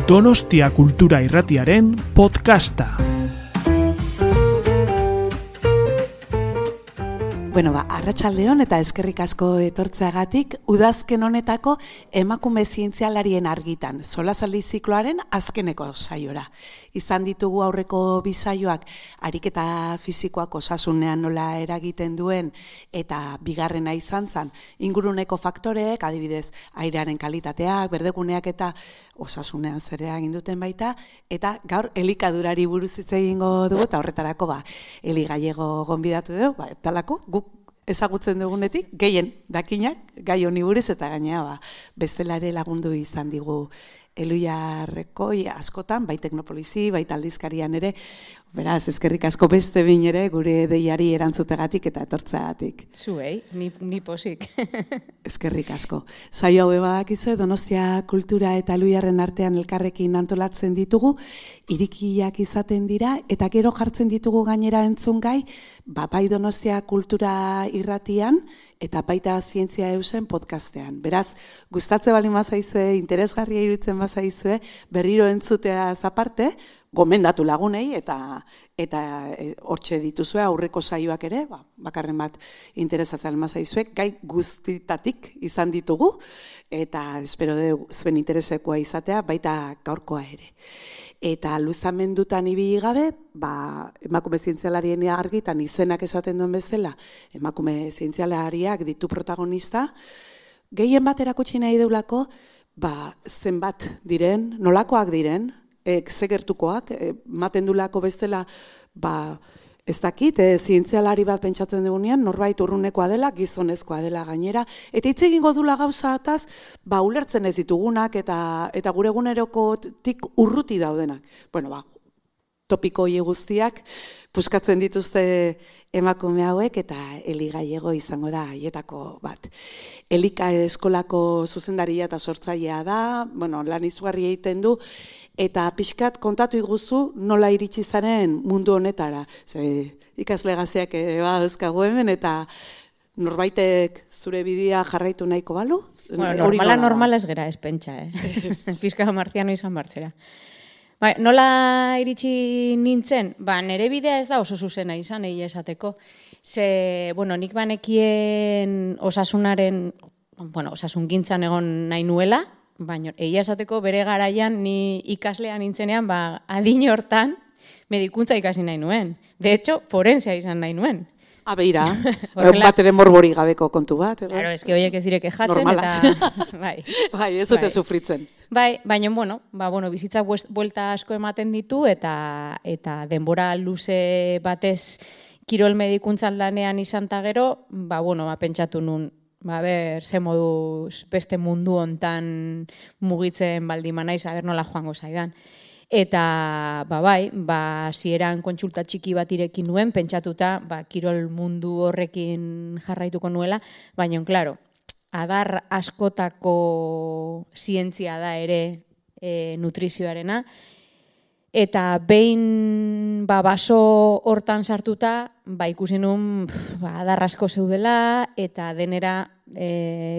Donostia Kultura Irratiaren podcasta. Arratsaldeon eta eskerrik asko etortzeagatik, udazken honetako emakume zientzialarien argitan, solasaldi zikloaren azkeneko saiora. Izan ditugu aurreko bi saioak ariketa fisikoak osasunean nola eragiten duen eta bigarrena izan zen inguruneko faktoreek, adibidez airearen kalitateak, berdeguneak eta osasunean zer egin duten baita, eta gaur elikadurari buruz hitz egingo dugu eta horretarako Eli Gallego gonbidatu dugu, talako guk ezagutzen dugunetik, gehien dakinak, gai honi buruz eta gainea bestelare lagundu izan digu Eluiarreko askotan, bai Teknopolizi, bai Aldizkarian ere, beraz, eskerrik asko beste behin ere gure deiari erantzutegatik eta etortzeagatik. Zuei, ni posik. Eskerrik asko. Saio hau badakizue, Donostia Kultura eta Eluiarren artean elkarrekin antolatzen ditugu, irikiak izaten dira, eta gero jartzen ditugu gainera entzungai, bai Donostia Kultura Irratian, eta baita Zientzia Eusen podcastean. Beraz, gustatze baldin bazaizue, interesgarria iruditzen bazaizue, berriro entzutea aparte, gomendatu lagunei eta hortxe dituzue aurreko saioak ere, bakarren bat interesatzen bazaizue, gai guztitatik izan ditugu, eta espero zuen interesekoa izatea, baita gaurkoa ere. Eta luzamendutan ibili gabe, emakume zientzialarien argitan izenak esaten duen bezala, emakume zientzialariak ditu protagonista, gehien bat erakutsi nahi deulako, zenbat diren, nolakoak diren, zegertukoak, maten dulako bestela, ez dakit, zientzialari bat pentsatzen dugunean, norbait urrunekoa dela, gizonezkoa dela gainera, eta hitz egingo dula gauzataz, ulertzen ez ditugunak eta gure egunerokotik urruti daudenak. Topiko hori guztiak puskatzen dituzte emakume hauek eta Eli Gallego izango da haietako bat. Elika eskolako zuzendaria eta sortzailea da, lan izugarri egiten du, eta pixkat kontatu iguzu nola iritsi zaren mundu honetara. Ikasle gazteak badazkagu hemen eta norbaitek zure bidea jarraitu nahiko balu? Normala ez gera ez pentsa, Pixka marziano izan bartzera. Nola iritsi nintzen? Nere bidea ez da oso zuzena izan, egia esateko. Nik banekien osasungintzan egon nahi nuela, baina egia esateko bere garaian ni ikaslean nintzenean, adin hortan medikuntza ikasi nahi nuen. De hecho, forensea izan nahi nuen. Beira, bat ere morbori gabeko kontu bat. Claro, eske horiek ez direke jatzen Normala. eta... ez dute sufritzen. Baina, bizitzak buelta asko ematen ditu eta denbora luze batez kirol medikuntzan lanean izan ta gero, pentsatu nun, ze moduz beste mundu hontan mugitzen baldin naiz, nola joango zaidan. Eta, zieran kontsulta txiki bat irekin nuen, pentsatuta, kirol mundu horrekin jarraituko nuela, baina, klaro, adar askotako zientzia da ere nutrizioarena, eta behin baso hortan sartuta, ikusi nun adar asko zeudela eta denera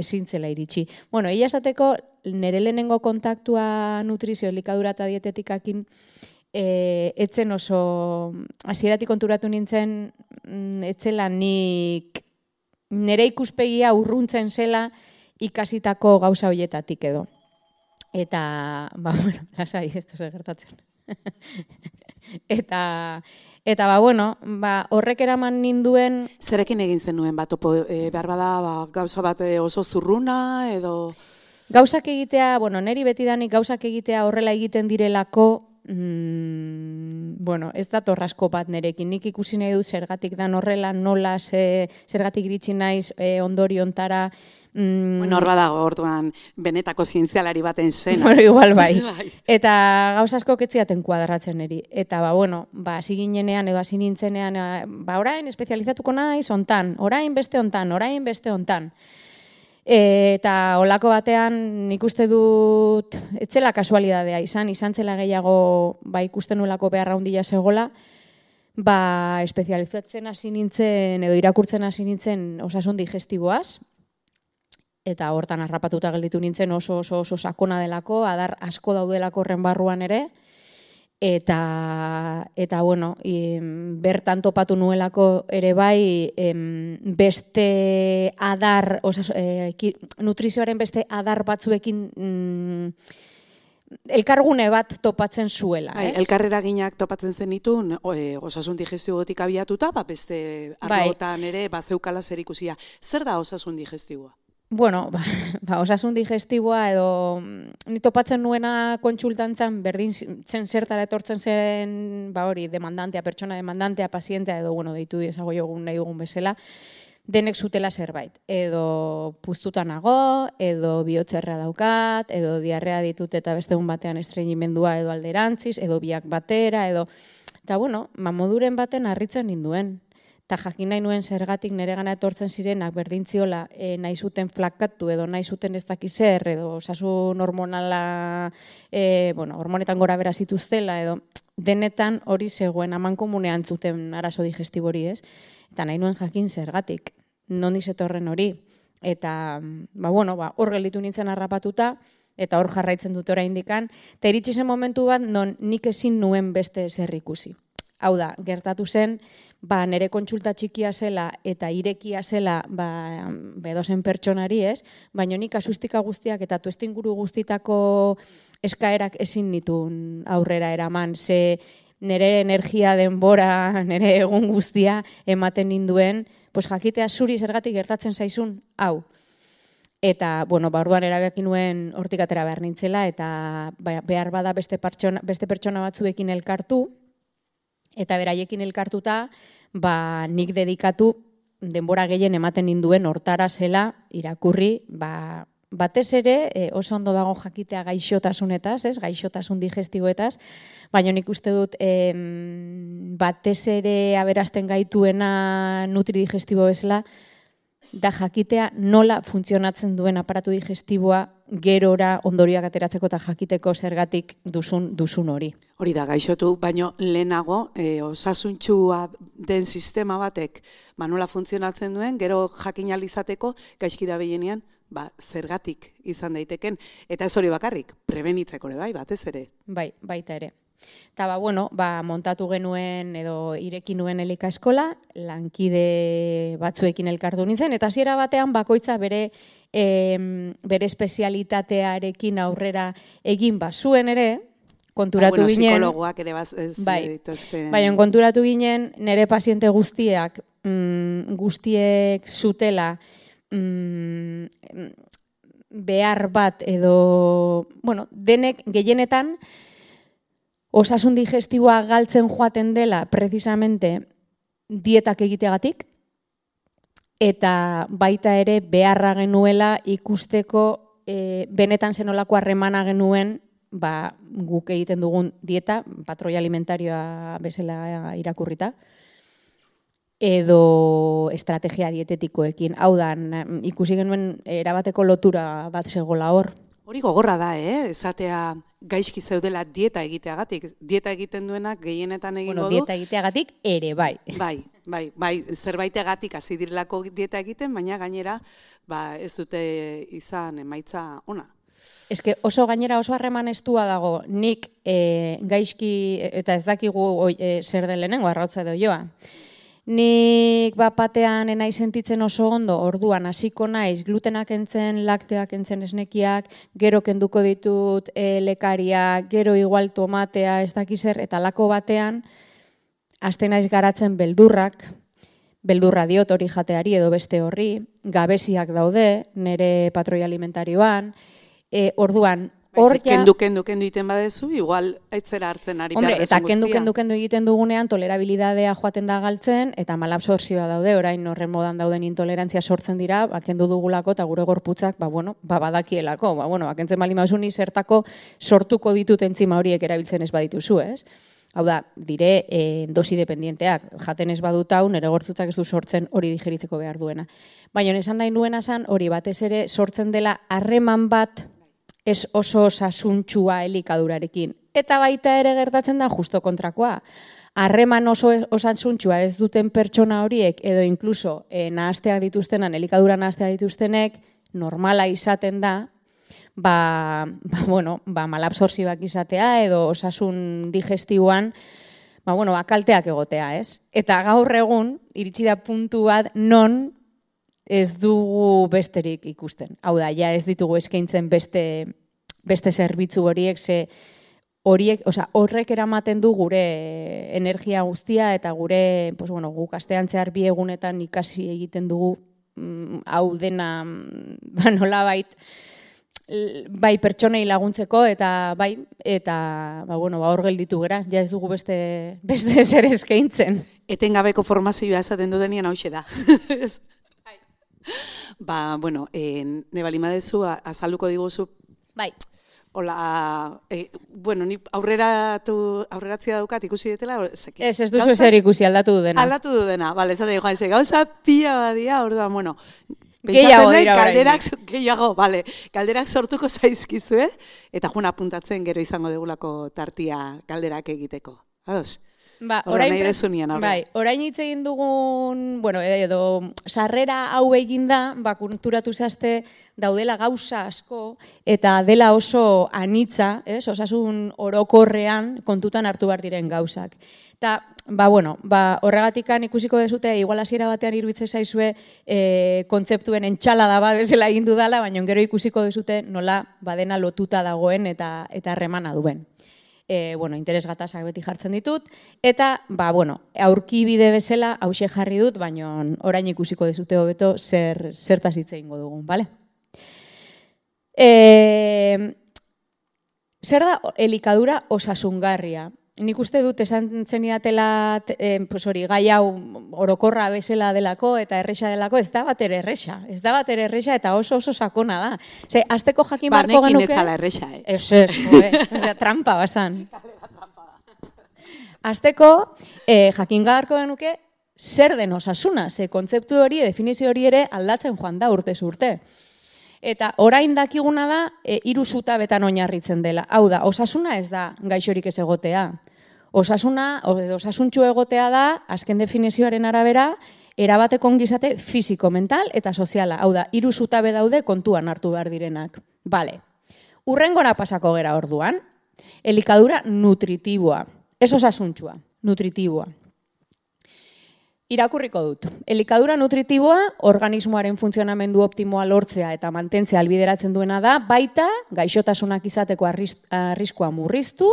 zintzela iritsi. Egia esateko, nire lehenengo kontaktua nutrizio, elikadura eta dietetikakin etzen oso, hasieratik konturatu nintzen, etzela nik nire ikuspegia urruntzen zela ikasitako gauza horietatik edo. Eta, lasai, ez da gertatzen. Eta horrek eraman ninduen... Zerekin egin zenuen behar bada gauza bat oso zurruna edo... Gauzak egitea, niri betidanik gauzak egitea horrela egiten direlako, ez da torrasko bat nerekin. Nik ikusi nahi dut zergatik dan horrela, nola, zergatik iritsi naiz ondoriontara. Hor badago, orduan, benetako zientzialari baten zena. Igual bai. Eta gauza asko ketziaten kuadratzen niri. Eta, hasi ginenean edo hasi nintzenean, orain espezializatuko naiz ontan, orain beste ontan. Eta olako batean nik uste dut etzela kasualidadea izan zela gehiago ikusten nuelako beharra handia zegoela, espezializatzen hasi nintzen edo irakurtzen hasi nintzen osasun digestiboaz, eta hortan harrapatuta gelditu nintzen oso sakona delako, adar asko daudelako horren barruan ere, eta bueno, bertan topatu nuelako ere bai, beste adar, nutrizioaren beste adar batzuekin elkargune bat topatzen zuela. Elkarreraginak topatzen zenitun, osasun digestibotik abiatuta, beste arlotan ere zeukala zer ikusia. Zer da osasun digestiboa? Bueno, osasun digestiboa edo ni topatzen nuena kontsultantzan berdin zen zertara etortzen zen, hori, demandantea, pertsona demandantea, pazientea edo, bueno, deitu ezago jogun nahi dugun bezala, denek zutela zerbait. Edo puztuta nago, edo bihotzerra daukat, edo diarrea ditut eta beste egun batean estreñimendua edo alderantziz, edo biak batera, edo... Eta, bueno, moduren baten harritzen ninduen. Eta jakin nahi nuen zergatik nire gana etortzen zirenak berdintziola nahi zuten flakatu edo nahi zuten ez dakizer edo osasun hormonala, hormonetan gora bera zituztela edo denetan hori zegoen amankomunean zuten arazo digestibori, ez? Eta nahi nuen jakin zergatik, nondi zetorren hori. Eta, hor gelditu nintzen harrapatuta, eta hor jarraitzen dute oraindikan, eta iritsi zen momentu bat non nik ezin nuen beste zer ikusi. Hau da, gertatu zen, nire kontsulta txikia zela eta irekia zela edozen pertsonari, ez? Baina nik asustika guztiak eta tuestinguru guztitako eskaerak ezin nituen aurrera eraman, ze nire energia denbora, nire egun guztia ematen ninduen, jakitea zuri zergatik gertatzen zaizun, hau. Eta, orduan erabaki nuen hortik atera behar nintzela, eta behar bada beste pertsona batzuekin elkartu, eta beraiekin elkartuta, nik dedikatu denbora gehien ematen ninduen hortara zela irakurri, batez ere oso ondo dago jakitea gaixotasunetaz, gaixotasun digestiboetaz, baina nik uste dut batez ere aberasten gaituena nutridigestibo bezala, da jakitea nola funtzionatzen duen aparatu digestiboa gerora ondorioak ateratzeko eta jakiteko zergatik duzun hori. Hori da, gaixotu, baino lehenago osasuntxua den sistema batek nola funtzionatzen duen, gero jakin alizateko gaizki da behienean, zergatik izan daiteken. Eta ez hori bakarrik, prebenitzeko ere bai, batez ere. Bai, baita ere. Eta montatu genuen edo ireki nuen elika eskola, lankide batzuekin elkartu nintzen, eta hasiera batean bakoitza bere espezialitatearekin aurrera egin bazuen ere, konturatu ginen... Psikologoak ere baina konturatu ginen nire paziente guztiek zutela behar bat edo, denek gehienetan osasun digestiboa galtzen joaten dela precisamente dietak egiteagatik, eta baita ere beharra genuela ikusteko benetan zenolako harremana genuen guk egiten dugun dieta, patroi alimentarioa bezala irakurrita, edo estrategia dietetikoekin. Hau da, ikusi genuen erabateko lotura bat zegoela hor. Hori gogorra da, esatea gaizki zeudela dieta egiteagatik. Dieta egiten duenak gehienetan egingo du. Dieta egiteagatik ere, bai. Bai, zerbaitegatik hasi direlako dieta egiten, baina gainera ez dute izan emaitza ona. Eske oso gainera oso harreman estua dago, nik gaizki, eta ez dakigu zer den lehenengo, arrautza edo joa. Nik batean enai sentitzen oso ondo, orduan hasiko naiz glutenak entzen, lakteak entzen esnekiak, gero kenduko ditut lekaria, gero igual tomatea, ez dakizer, eta lako batean, haste naiz garatzen beldurra diot hori jateari edo beste horri, gabeziak daude, nire patroi alimentarioan, orduan, Kendu egiten badezu, igual aitzera hartzen ari behar desun guztia. Eta kendu egiten dugunean tolerabilidadea joaten da galtzen, eta malabsortzioa daude, orain horren modan dauden intolerantzia sortzen dira, kendu dugulako eta gure gorputzak, badakielako. Kentzen bali mausuni zertako sortuko ditut entzima horiek erabiltzen ez badituzu, ez? Hau da, dire dosi dependienteak, jaten ez badut hau, nire gorputzak ez du sortzen hori digeritzeko behar duena. Baina esan nahi nuena zan, hori batez ere sortzen dela harreman bat ez oso osasuntxua elikadurarekin. Eta baita ere gertatzen da justo kontrakoa. Harreman oso osasuntxua ez duten pertsona horiek, edo inkluso nahazteak dituztenan, elikadura nahazteak dituztenek, normala izaten da, malabsortzibak izatea edo osasun digestiboan kalteak egotea, ez? Eta gaur egun, iritsi da puntu bat non ez dugu besterik ikusten. Hau da, ja ez ditugu eskaintzen beste zerbitzu horiek, horrek eramaten du gure energia guztia eta gure, guk astean zehar 2 egunetan ikasi egiten dugu hau dena nolabait bai pertsonei laguntzeko eta hor gelditu gera, ja ez dugu beste zer eskaintzen. Etengabeko formazioa esaten dudenean hauxe da. Ne balimadezu azalduko diguzu. Bai. Hola, ni aurreratzia daukat ikusi detela. Ez duzu ezer ikusi, aldatu du dena. Aldatu du dena, bale, esaten joan, gauza pila badia, orduan, gehiago dira orain. Galderak sortuko zaizkizu, eta joan apuntatzen gero izango degulako tartia galderak egiteko. Ados? Orain hitz egin dugun, edo sarrera hau eginda, konturatu zazte daudela gauza asko eta dela oso anitza, osasun orokorrean kontutan hartu behar diren gauzak. Eta, horregatikan ikusiko dezute, igual hasiera batean iruditzen zaizue kontzeptuen entxalada bat bezala egin dudala, baina gero ikusiko dezute nola badena lotuta dagoen eta harremana duen. Interes gatazak beti jartzen ditut, eta, aurkibide bezala hauxe jarri dut, baina orain ikusiko dezute hobeto zertaz hitz egingo dugun, bale? Zer da elikadura osasungarria? Nik uste dut esan zenidatela gai hau orokorra bezala delako eta erresa delako, ez da bat ere erresa eta oso sakona da. Azteko jakin barko genuke... Banekin etzala erresa, trampa basan. Azteko jakin barko genuke zer den osasuna, kontzeptu hori, definizio hori ere aldatzen joan da urtez urte. Eta orain dakiguna da, 3 zutabetan oinarritzen dela. Hau da, osasuna ez da gaixorik ez egotea. Osasuntxu egotea da, azken definizioaren arabera, erabateko ongizate fisiko, mental eta soziala. Hau da, 3 zutabe daude kontuan hartu behar direnak. Bale. Urrengora pasako gera orduan, elikadura nutritiboa. Ez osasuntxua, nutritiboa. Irakurriko dut. Elikadura nutritiboa organismoaren funtzionamendu optimoa lortzea eta mantentzea albideratzen duena da, baita gaixotasunak izateko arriskua murriztu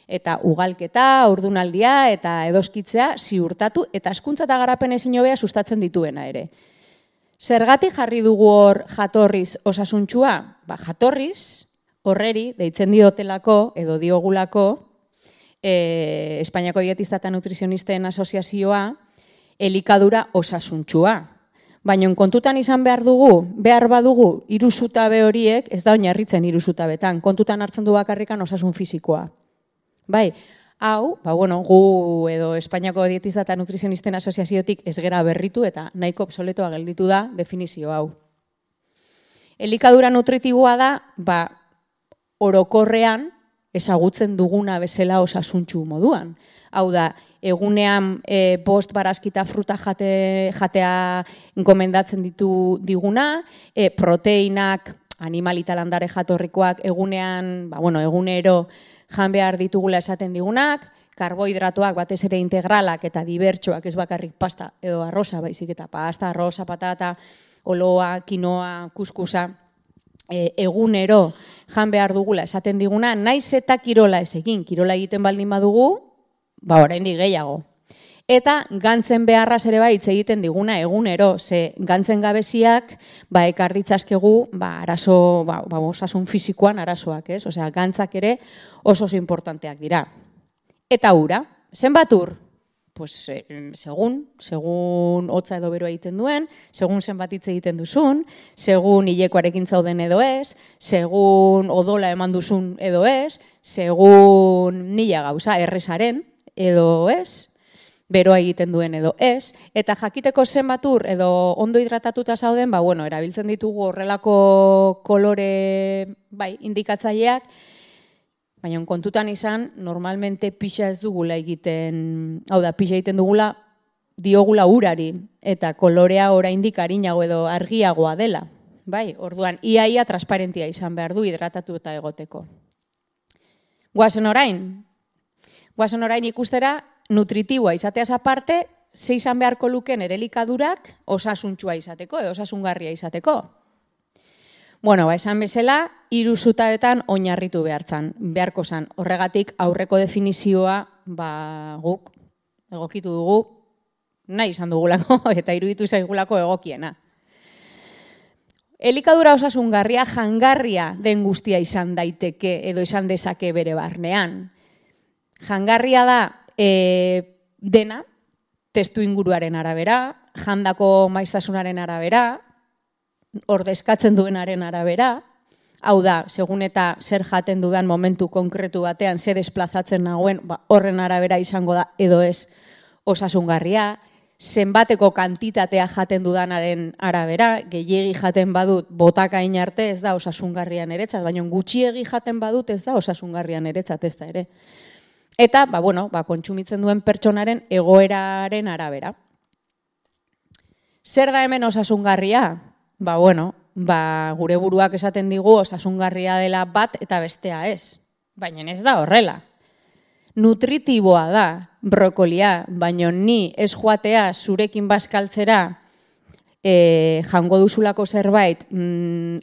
eta ugalketa, ordunaldia eta edoskitzea ziurtatu eta hezkuntza eta garapen ezin hobea sustatzen dituena ere. Zergatik jarri dugu hor jatorriz osasuntxua? Jatorriz horreri deitzen diotelako edo diogulako Espainiako Dietista eta Nutrizionisten Asoziazioa elikadura osasuntxua. Baina kontutan izan behar badugu 3 zutabe horiek, ez da oinarritzen 3 zutabetan, kontutan hartzen du bakarrikan osasun fisikoa. Bai, hau, gu edo Espainiako Dietista eta Nutrizionisten Asoziaziotik ez gera berritu eta nahiko obsoletoa gelditu da definizio hau. Elikadura nutritiboa da, orokorrean ezagutzen duguna bezala osasuntxu moduan. Hau da, egunean bost barazkita fruta jatea gomendatzen diguna, proteinak, animalita landare jatorrikoak egunean, egunero jan behar ditugula esaten digunak, karbohidratoak batez ere integralak eta dibertsoak, ez bakarrik pasta edo arroza, baizik eta pasta, arroza, patata, oloa, kinoa, kuskusa, egunero jan behar dugula esaten diguna, naiz eta kirola ez egin, kirola egiten baldin badugu, oraindik gehiago. Eta gantzen beharraz ere hitz egiten diguna egunero, ze gantzen gabeziak ekar ditzazkegu arazo, osasun fisikoan arazoak, ez? Osea, gantzak ere oso importanteak dira. Eta ura, zenbat ur? Pues segun hotza edo beroa egiten duen, segun zenbat hitz egiten duzun, segun hilekoarekin zauden edo ez, segun odola eman duzun edo ez, segun 1000 gauza errezaren edo ez, beroa egiten duen edo ez, eta jakiteko zenbat ur edo ondo hidratatuta zauden, erabiltzen ditugu horrelako kolore indikatzaileak, baina kontutan izan, normalmente pixa ez dugula egiten, hau da, pixa egiten dugula, diogula urari, eta kolorea oraindik arinago edo argiagoa dela. bai, orduan, iaia transparentia izan behar du hidratatu eta egoteko. Guazen orain ikustera nutritiboa izateaz aparte, ze izan beharko luken ere elikadurak osasuntxua izateko, edo osasungarria izateko. Bueno, esan bezala, 3 zutabetan oinarritu beharko zan. Horregatik aurreko definizioa guk egokitu dugu, nahi izan dugulako eta iruditu zaigulako egokiena. Elikadura osasungarria jangarria den guztia izan daiteke edo izan dezake bere barnean. Jangarria da dena, testu inguruaren arabera, jandako maiztasunaren arabera, ordezkatzen duenaren arabera, hau da, segun eta zer jaten dudan momentu konkretu batean, zer desplazatzen nagoen, horren arabera izango da edo ez osasungarria, zenbateko kantitatea jaten dudanaren arabera, gehiegi jaten badut botakain arte ez da osasungarrian eretzat, baina gutxiegi jaten badut ez da osasungarrian eretzat ez da ere. Eta, kontsumitzen duen pertsonaren egoeraren arabera. Zer da hemen osasungarria? Gure buruak esaten digu osasungarria dela bat eta bestea ez. Baina ez da horrela. Nutritiboa da brokolia, baina ni ez joatea zurekin bazkaltzera jango duzulako zerbait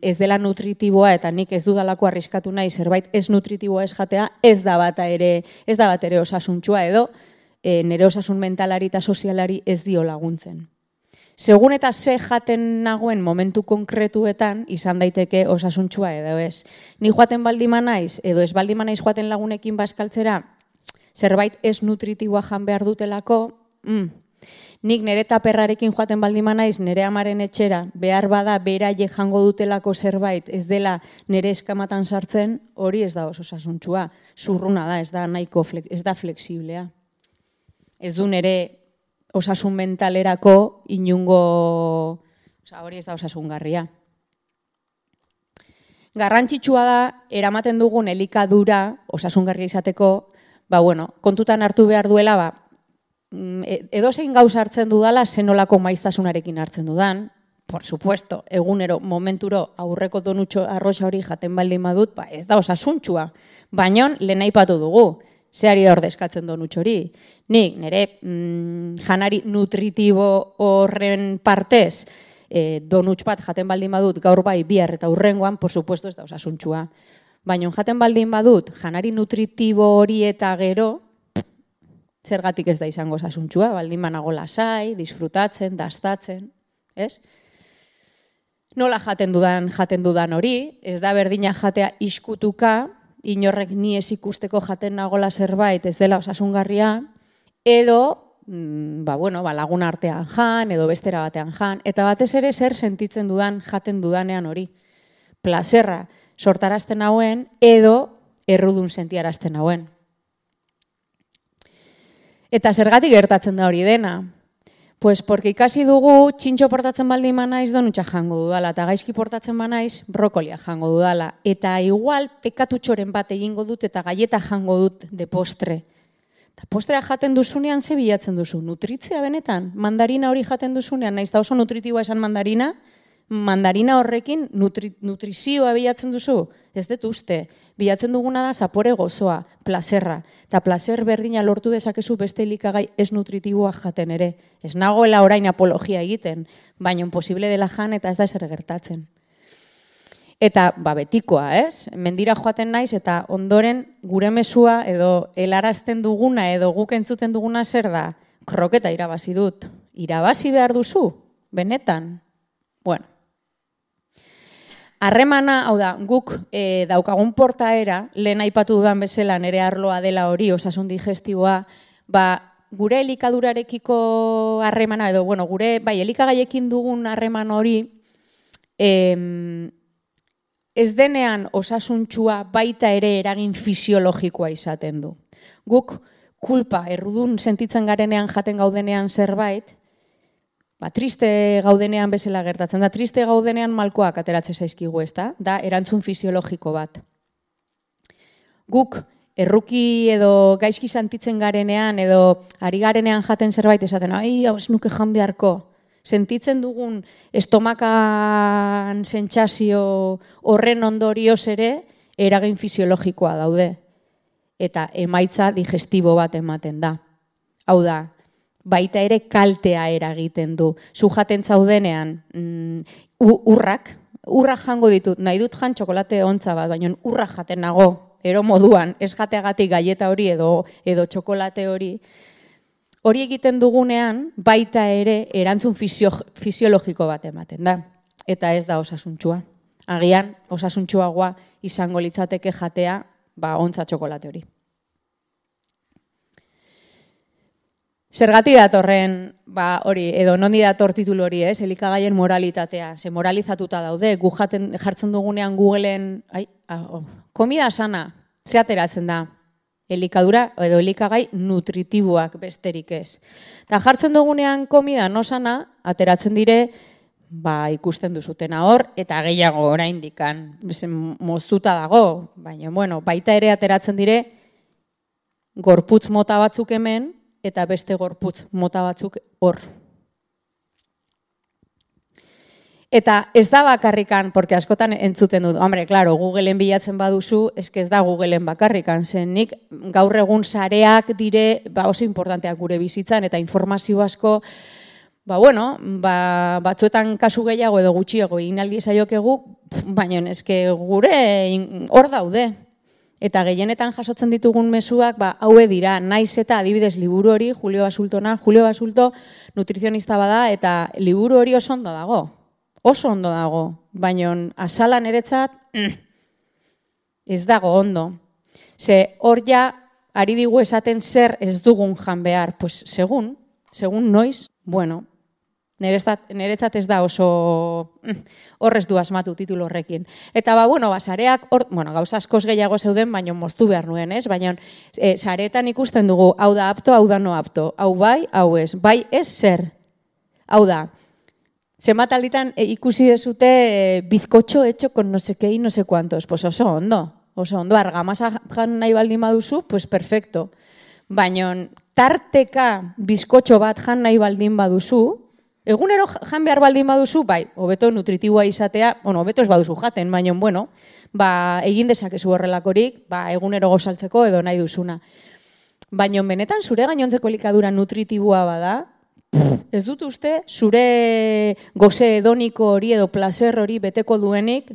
ez dela nutritiboa eta nik ez dudalako arriskatu nahi zerbait ez nutritiboa ez jatea, ez da bat ere osasuntxua edo nire osasun mentalari eta sozialari ez dio laguntzen. Segun eta ze jaten nagoen momentu konkretuetan izan daiteke osasuntxua edo ez. Ni joaten baldima naiz edo ez baldima naiz joaten lagunekin bazkaltzera zerbait ez nutritiboa jan behar dutelako, nik nire taperrarekin joaten baldima naiz nire amaren etxera, behar bada beraie jango dutelako zerbait ez dela nire eskamatan sartzen, hori ez da osasuntxua. Zurruna da, ez da flexiblea. Ez du nire osasun mentalerako inungo, hori ez da osasungarria. Garrantzitsua da, eramaten dugun elikadura osasungarria izateko, kontutan hartu behar duela, edozein gauza hartzen dudala, zenolako maiztasunarekin hartzen dudan, por supuesto, egunero, momenturo, aurreko donutxo arroxa hori jaten baldin badut, ez da osasuntxua, baina lehen aipatu dugu, zeari da ordezkatzen donutxo hori. Nik, nire janari nutritibo horren partez, donutx bat jaten baldin badut, gaur bai, bihar eta hurrengoan, por supuesto, ez da osasuntxua. Baina jaten baldin badut, janari nutritibo hori eta gero, zergatik ez da izango osasuntxua, baldin banago lasai, disfrutatzen, dastatzen, ez? Nola jaten dudan hori, ez da berdina jatea iskutuka, inorrek ni ez ikusteko jaten nagola zerbait ez dela osasungarria, edo, lagun artean jan, edo bestera batean jan, eta batez ere zer sentitzen dudan jaten dudanean hori. Plazerra sortarazten hauen, edo errudun sentiarazten hauen. Eta zergatik gertatzen da hori dena? Pues porque ikasi dugu txintxo portatzen baldin manaiz donutxa jango dudala, eta gaizki portatzen banaiz brokolia jango dudala. Eta igual pekatutxoren bat egingo dut eta gaieta jango dut de postre. Eta postrea jaten duzunean ze bilatzen duzu? Nutritzea benetan? Mandarina hori jaten duzunean, naiz da oso nutritiboa esan mandarina horrekin nutrizioa bilatzen duzu? Ez dut uste. Bilatzen duguna da zapore gozoa, plazerra. Eta plazer berdina lortu dezakezu beste elikagai ez nutritiboa jaten ere. Ez nagoela orain apologia egiten, baina posible dela jan eta ez da ezer gertatzen. Eta betikoa, ez? Mendira joaten naiz eta ondoren gure mezua edo helarazten duguna edo guk entzuten duguna zer da? Kroketa irabazi dut. Irabazi behar duzu? Benetan? Bueno. Harremana, hau da, guk daukagun portaera, lehen aipatu dudan bezala nire arloa dela hori, osasun digestiboa, gure elikadurarekiko harremana, edo, gure, elikagaiekin dugun harreman hori, ez denean osasuntxua baita ere eragin fisiologikoa izaten du. Guk kulpa, errudun sentitzen garenean jaten gaudenean zerbait, triste gaudenean bezala gertatzen da. Triste gaudenean malkoak ateratzen zaizkigu, ez da? Da, erantzun fisiologiko bat. Guk erruki edo gaizki sentitzen garenean edo ari garenean jaten zerbait esaten, hau ez nuke jan beharko. sentitzen dugun estomakan sentsazio horren ondorioz ere eragin fisiologikoa daude. Eta emaitza digestibo bat ematen da. Hau da, baita ere kaltea eragiten du. Zu jaten zaudenean urrak jango ditut, nahi dut jan txokolate ontza bat, baina urrak jaten nago, ero moduan, ez jateagatik galleta hori edo txokolate hori. Hori egiten dugunean, baita ere erantzun fisiologiko bat ematen da. Eta ez da osasuntxua. Agian, osasuntxuagoa izango litzateke jatea, ontza txokolate hori. Zergati datorren, hori, edo nondi dator titulu hori, elikagaien moralitatea. Ze moralizatuta daude, gu jartzen dugunean Googleen, komida sana, ze ateratzen da? Elikadura edo elikagai nutritiboak besterik ez. Eta jartzen dugunean komida no sana, ateratzen dire, ikusten duzutena hor, eta gehiago oraindikan moztuta dago, baina, baita ere ateratzen dire, gorputz mota batzuk hemen, eta beste gorputz mota batzuk hor. Eta ez da bakarrikan, porque askotan entzuten dut, claro, Googleen bilatzen baduzu, ez da Googleen bakarrikan, zen nik gaur egun sareak dire oso importanteak gure bizitzan, eta informazio asko, batzuetan kasu gehiago edo gutxiago egin aldi zaiokegu, baina eske gure hor daude. Eta gehienetan jasotzen ditugun mezuak, haue dira, naiz eta adibidez liburu hori, Julio Basulto nutrizionista bada, eta liburu hori oso ondo dago, baina azala niretzat ez dago ondo. Ze hor ja, ari digu esaten zer ez dugun jan behar, pues segun noiz, niretzat ez da oso horrez du asmatu titulu horrekin. Eta sareak, gauza askoz gehiago zeuden, baina moztu behar nuen, ez? Baina sareetan ikusten dugu, hau da apto, hau da no apto, hau bai, hau ez, bai ez zer. Hau da, zenbat alditan ikusi dezute bizkotxo hecho con no sé qué y no sé cuántos, pues oso ondo, argamasa jan nahi baldin baduzu, pues perfecto. Baina tarteka bizkotxo bat jan nahi baldin baduzu, egunero jan behar baldin baduzu, hobeto nutritiboa izatea, hobeto ez baduzu jaten, baina, egin dezakezu horrelakorik, egunero gozaltzeko edo nahi duzuna. Baina benetan zure gainontzeko elikadura nutritiboa bada, ez dut uste zure goze hedoniko hori edo placer hori beteko duenik,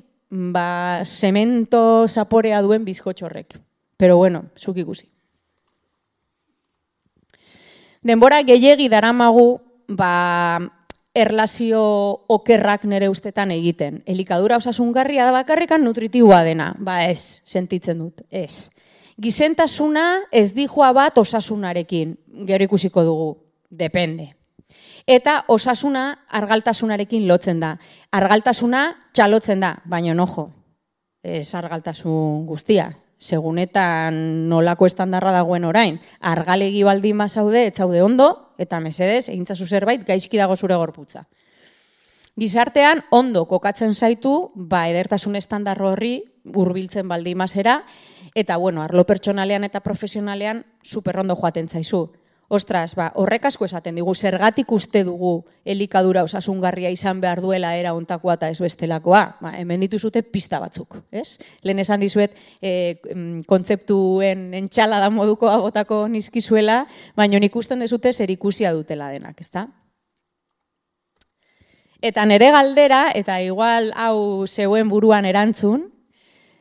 zemento zaporea duen bizkotxorrek. Pero zuk ikusi. Denbora gehiegi daramagu, erlazio okerrak nire ustetan egiten. Elikadura osasungarria da bakarrikan nutritiboa dena. Ez, sentitzen dut, ez. Gizentasuna ez dijoa bat osasunarekin. Gero ikusiko dugu, depende. Eta osasuna argaltasunarekin lotzen da. Argaltasuna txalotzen da, baina ojo, ez argaltasun guztia. Segunetan nolako estandarra dagoen orain. Argalegi baldin bazaude, ez zaude ondo, eta mesedez, egintzazu zerbait, gaizki dago zure gorputza. Gizartean, ondo kokatzen zaitu, edertasun estandar horri hurbiltzen baldin bazera, eta arlo pertsonalean eta profesionalean superrondo joaten zaizu. Ostras, horrek asko esaten digu, zergatik uste dugu elikadura osasungarria izan behar duela era ontakoa eta ez bestelakoa. Hemen dituzute pista batzuk, ez? Lehen esan dizuet, kontzeptuen entxalada modukoa botako nizkizuela, baina ikusten dezute zer ikusia dutela denak, ezta? Eta nire galdera, eta igual hau zeuen buruan erantzun,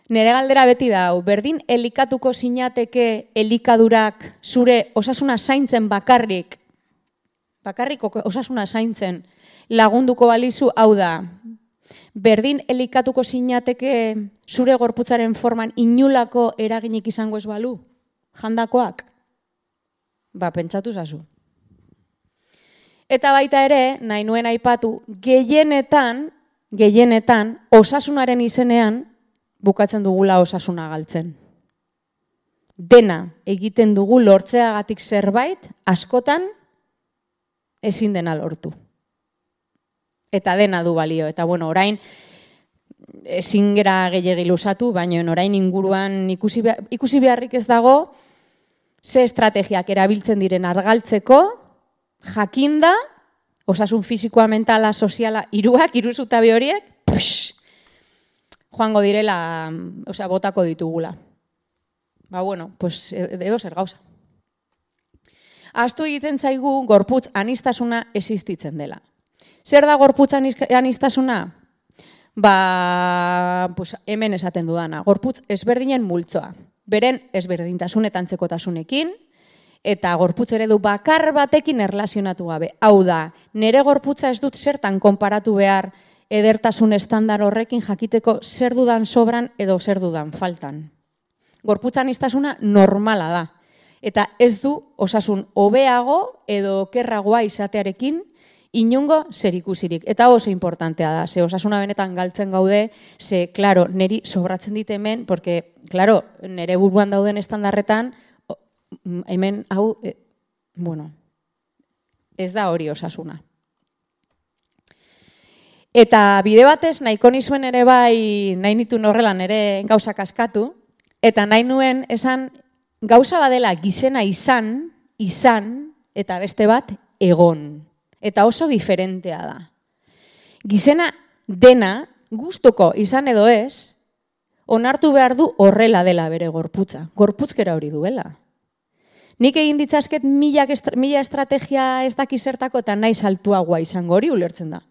nire galdera beti da, berdin elikatuko zinateke elikadurak zure osasuna zaintzen bakarrik osasuna zaintzen lagunduko balizu, hau da, berdin elikatuko zinateke zure gorputzaren forman inulako eraginik izango ez balu, jandakoak? Pentsatu zazu. Eta baita ere, nahi nuen aipatu, gehienetan, osasunaren izenean, bukatzen dugula osasuna galtzen. Dena egiten dugu lortzeagatik zerbait, askotan ezin dena lortu. Eta dena du balio. Eta orain ezin gera gehiegi luzatu, baina orain inguruan ikusi beharrik ez dago, ze estrategiak erabiltzen diren argaltzeko, jakinda osasun fisikoa, mentala, soziala, hiru zutabe horiek, joango direla, botako ditugula. Bueno, pues edo zer gauza. Ahaztu egiten zaigu gorputz anistasuna existitzen dela. Zer da gorputz anistasuna? Pues hemen esaten dudana. Gorputz ezberdinen multzoa. Beren ezberdintasun eta antzekotasunekin, eta gorputz eredu bakar batekin erlazionatu gabe. Hau da, nire gorputza ez dut zertan konparatu behar edertasun estandar horrekin jakiteko zer dudan sobran edo zer dudan faltan. Gorputz anistasuna normala da. Eta ez du osasun hobeago edo okerragoa izatearekin inongo zerikusirik. Eta oso importantea da, ze osasuna benetan galtzen gaude, ze, klaro, niri sobratzen dit hemen, porque, klaro, nire buruan dauden estandarretan, hemen, hau, ez da hori osasuna. Eta bide batez, nahiko nizuen ere bai, nahi nituen horrela nire gauzak askatu, eta nahi nuen esan gauza badela gizena izan, eta beste bat egon. Eta oso diferentea da. Gizena dena, gustuko izan edo ez, onartu behar du horrela dela bere gorputza. Gorputzkera hori duela. Nik egin ditzazket mila estrategia ez dakizertako eta nahi saltuagoa izango hori ulertzen da.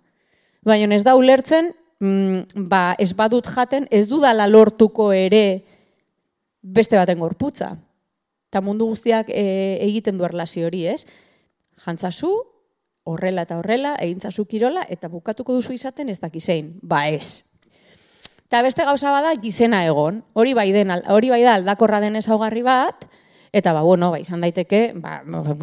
Baina ez da ulertzen, ez badut jaten, ez dudala lortuko ere beste baten gorputza. Eta mundu guztiak egiten du erlazio hori, ez? Jantzazu, horrela eta horrela, egintzazu kirola, eta bukatuko duzu izaten ez dakizein. Ez. Eta beste gauza bada gizena egon. Hori bai da aldakorra den ezaugarri bat, eta izan daiteke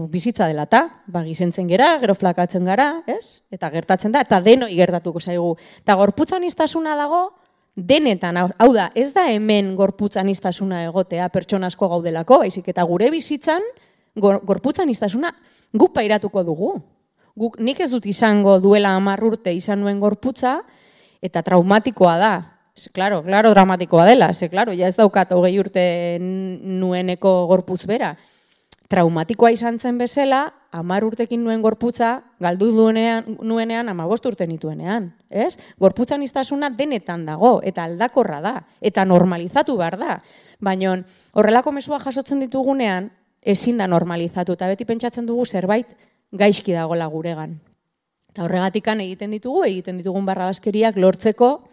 bizitza dela eta, gizentzen gera, gero flakatzen gara, ez? Eta gertatzen da, eta denoi gertatuko zaigu. Eta gorputzaniztasuna dago, denetan, hau da, ez da hemen gorputzaniztasuna egotea pertsona asko gaudelako, baizik eta gure bizitzan gorputzaniztasuna guk pairatuko dugu. Nik ez dut izango duela 10 urte izan nuen gorputza, eta traumatikoa da. Claro, dramatikoa dela. Ja ez daukat 20 urte nueneko gorputz bera. Traumatikoa izan zen bezala, 10 urtekin nuen gorputza, galdu nuenean 15 urte nituenean. Gorputzaniztasuna denetan dago, eta aldakorra da, eta normalizatu behar da. Baina horrelako mezua jasotzen ditugunean, ezin da normalizatu, eta beti pentsatzen dugu zerbait gaizki dagola guregan. Eta horregatikan egiten ditugun barrabaskeriak lortzeko,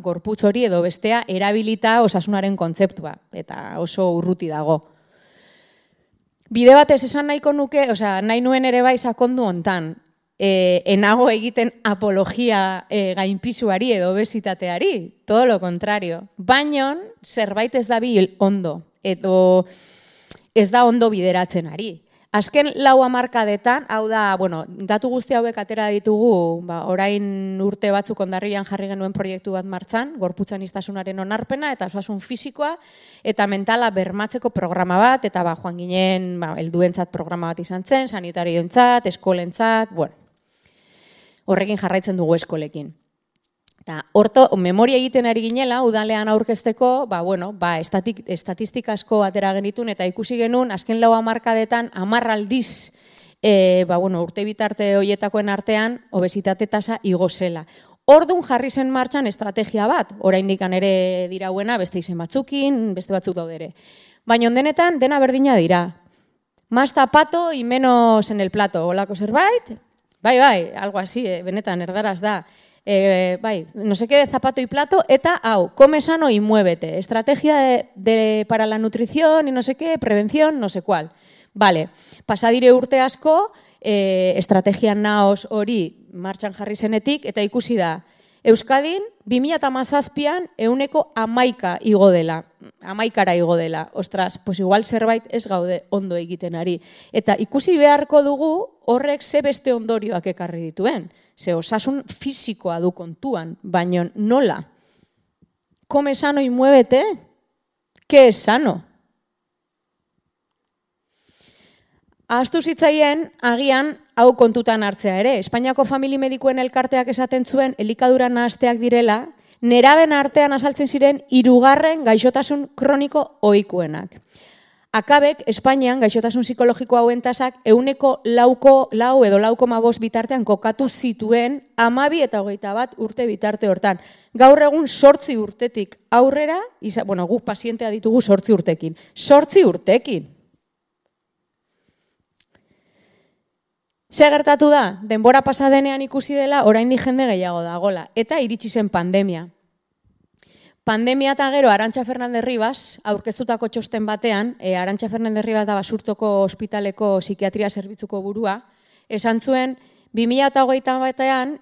gorputz hori edo bestea erabilita osasunaren kontzeptua, eta oso urruti dago. Bide batez esan nahiko nuke, nahi nuen ere bai sakondu hontan, enago egiten apologia gainpisuari edo obesitateari, todo lo contrario. Baina zerbait ez dabil ondo, edo ez da ondo bideratzen ari. Azken 4 hamarkadetan, hau da, datu guzti hauek atera ditugu, orain urte batzuk ondarrian jarri genuen proiektu bat martxan, gorputzaniztasunaren onarpena eta osasun fisikoa eta mentala bermatzeko programa bat, eta joan ginen helduentzat programa bat izan zen, sanitarioentzat, eskolentzat, horrekin jarraitzen dugu eskolekin. Eta horto, memoria egiten ari ginela, udalean aurkezteko, estatistika asko atera genitun, eta ikusi genuen, azken 4 hamarkadetan, 10 aldiz, urte bitarte horietakoen artean, obesitate tasa igo zela. Orduan jarri zen martxan estrategia bat, oraindik ere dirauena, beste izen batzukin, beste batzuk daude ere. Baina denetan, dena berdina dira. Más zapato y menos en el plato, holako zerbait? Bai, algo así, benetan, erdaraz da. No sé qué de zapato y plato, eta come sano y muévete. Estrategia para la nutrición y no sé qué, prevención, no sé cuál. Vale, pasadire urte asko, estrategia naos hori martxan jarri zenetik, eta ikusi da, Euskadin 2017an 11% igo dela, 11% igo dela. Ostras, pues igual zerbait ez gaude ondo egiten ari. Eta ikusi beharko dugu horrek ze beste ondorioak ekarri dituen. Ze osasun fisikoa du kontuan, baina nola? Come sano y muévete? ¿Qué es sano? Ahaztu zitzaien, agian, hau kontutan hartzea ere. Espainiako Famili Medikuen Elkarteak esaten zuen, elikadura nahasteak direla, neraben artean azaltzen ziren 3. gaixotasun kroniko ohikuenak. Akabek, Espainian, gaixotasun psikologiko hauen tasak, 4 edo 4,5 bitartean kokatu zituen 12 eta 21 urte bitarte hortan. Gaur egun 8 urtetik aurrera, guk pazientea ditugu 8 urtekin. 8 urtekin! Ze gertatu da? Denbora pasadenean ikusi dela, oraindik jende gehiago dagola. Eta iritsi zen pandemia. Pandemia eta gero Arantxa Fernandez Ribas, aurkeztutako txosten batean, Arantxa Fernandez Ribas da Basurtoko ospitaleko psikiatria zerbitzuko burua, esan zuen, 2021 batean,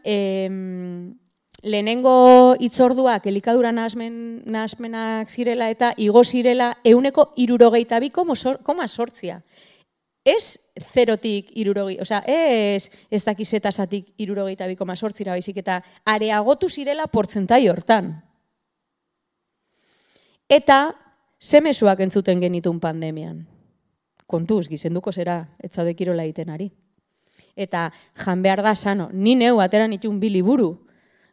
lehenengo hitzorduak elikadura nahasmenak zirela eta igo zirela 62,8. Ez 0tik 60, osea, ez dakizetasatik 62,8 baizik eta areagotu zirela portzentai hortan. Eta ze mezuak entzuten genitun pandemian. Kontuz, gizenduko zera, ez zaude kirola egiten ari. Eta jan behar da sano, ni neu ateran itun 2 liburu.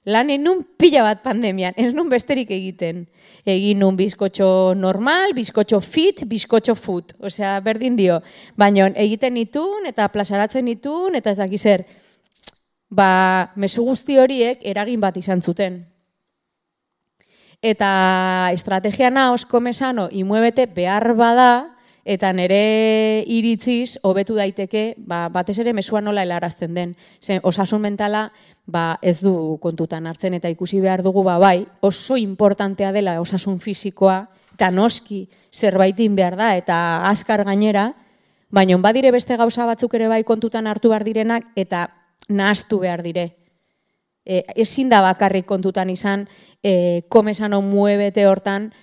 Lan nun pila bat pandemian, ez nun besterik egiten. Egin nun bizkotxo normal, bizkotxo fit, bizkotxo food. Osea, berdin dio. Baina egiten nitun eta plazaratzen nitun eta ez dakizer. Mezu guzti horiek eragin bat izan zuten. Eta estrategia naos, komesano, imuebete behar bada, eta nire iritziz hobetu daiteke, batez ere mesua nola helarazten den. Osasun mentala ez du kontutan hartzen, eta ikusi behar dugu bai, oso importantea dela osasun fisikoa, eta noski zerbaitin behar da, eta azkar gainera, baina badire beste gauza batzuk ere bai kontutan hartu behar direnak, eta nahastu behar dire. Ezin da bakarrik kontutan izan, komesano muebete hortan,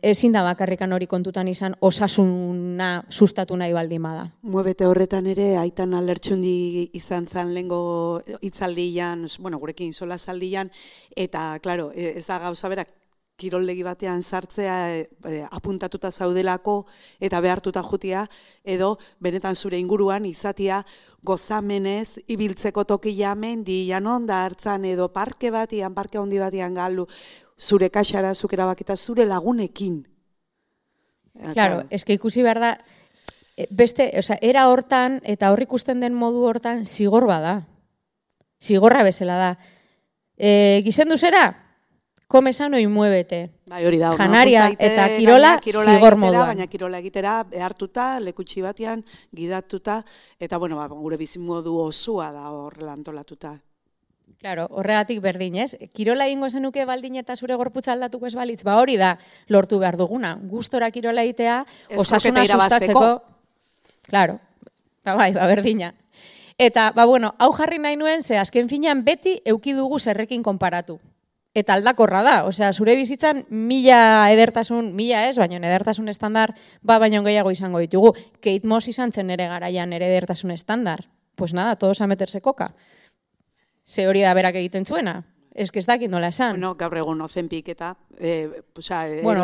ezin da bakarrikan hori kontutan izan osasuna sustatu nahi baldin bada. Muebete horretan ere, aitan alertxundi izan zen lehengo hitzaldian, gurekin sola saldian, eta, klaro, ez da gauza berak, kiroldegi batean sartzea apuntatuta zaudelako eta behartuta jutia, edo benetan zure inguruan izatia gozamenez, ibiltzeko tokia mendian onda hartzan edo parke handi batian galdu, zure kaxara, zuk erabakita zure lagunekin. Claro, eske ikusi behar da, era hortan eta hor ikusten den modu hortan zigor bada. Zigorra bezala da. Gizendu zera? Komesano y muévete. Hori da. Janaria eta kirola zigor moduan. Baina kirola egitera behartuta, lekutsi batean, gidatuta, eta gure bizimodu osua da horrela antolatuta. Claro, horregatik berdin, ez? Kirola egingo zenuke baldin eta zure gorputza aldatuko ez balitz, hori da lortu behar duguna. Gustora kirola egitea, osasuna sustatzeko. Claro, berdina. Eta, hau jarri nahi nuen, ze azken finean beti euki dugu zerrekin konparatu. Eta aldakorra da, osea, zure bizitzan 1000 edertasun, 1000 ez, baina edertasun estandar, baino gehiago izango ditugu. Kate Moss izan zen ere garaian ere edertasun estandar. Pues nada, todos a meterse coca. Ze hori da berak egiten zuena. Ez dakit nola esan. Gaur egun Ozempik eta...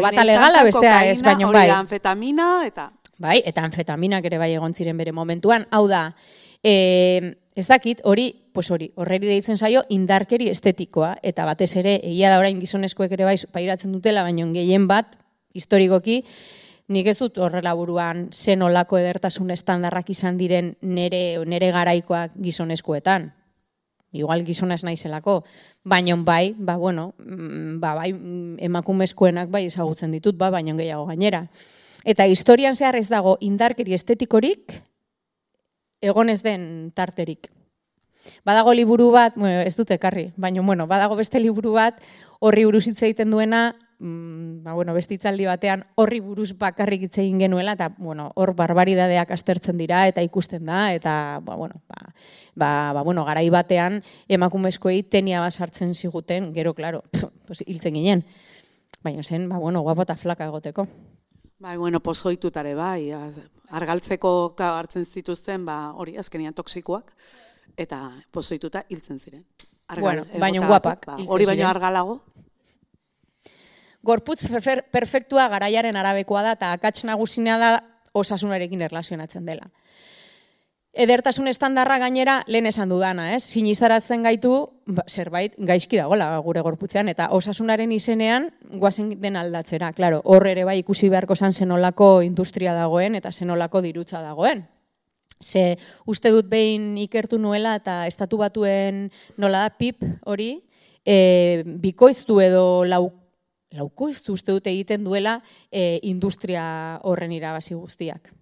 bata legala, bestea ez, baina bai. Hori da anfetamina eta... Bai, eta anfetaminak ere bai egon ziren bere momentuan. Hau da, ez dakit, horreri deitzen zaio indarkeri estetikoa, eta batez ere, egia da orain gizonezkoek ere bai pairatzen dutela, baina gehien bat, historikoki, nik ez dut horrela buruan zenolako edertasun estandarrak izan diren nere garaikoak gizonezkoetan. Igual gizonaz naizelako, baina bai, emakumezkoenak bai ezagutzen ditut, baina gehiago gainera. Eta historian zehar ez dago indarkeri estetikorik, egon ez den tarterik. Badago liburu bat, ez dut ekarri, baina badago beste liburu bat, horri buruz hitz egiten duena, beste hitzaldi batean horri buruz bakarrik hitz egin genuela, eta hor barbaridadeak aztertzen dira, eta ikusten da, eta garai batean emakumezkoei tenia bat sartzen ziguten, gero, klaro, hiltzen ginen. Baina zen, guapo eta flaka egoteko. Pozoitutare bai, argaltzeko hartzen zituzten, hori azkenian toksikoak, eta pozoituta hiltzen ziren. Baina guapak. Hori baino argalago. Gorputz perfektua garaiaren arabekoa da, eta akats nagusina da osasunarekin erlazionatzen dela. Edertasun estandarra gainera lehen esan dudana, ez? Sinistaratzen gaitu zerbait gaizki dagoela gure gorputzean eta osasunaren izenean goazen den aldatzera. Claro, hor ere bai ikusi beharko zan zenolako industria dagoen eta zenolako dirutza dagoen. Ze uste dut behin ikertu nuela eta estatu batuen nola da PIB hori bikoiztu edo laukoiztu uste dut egiten duela industria horren irabazi guztiak.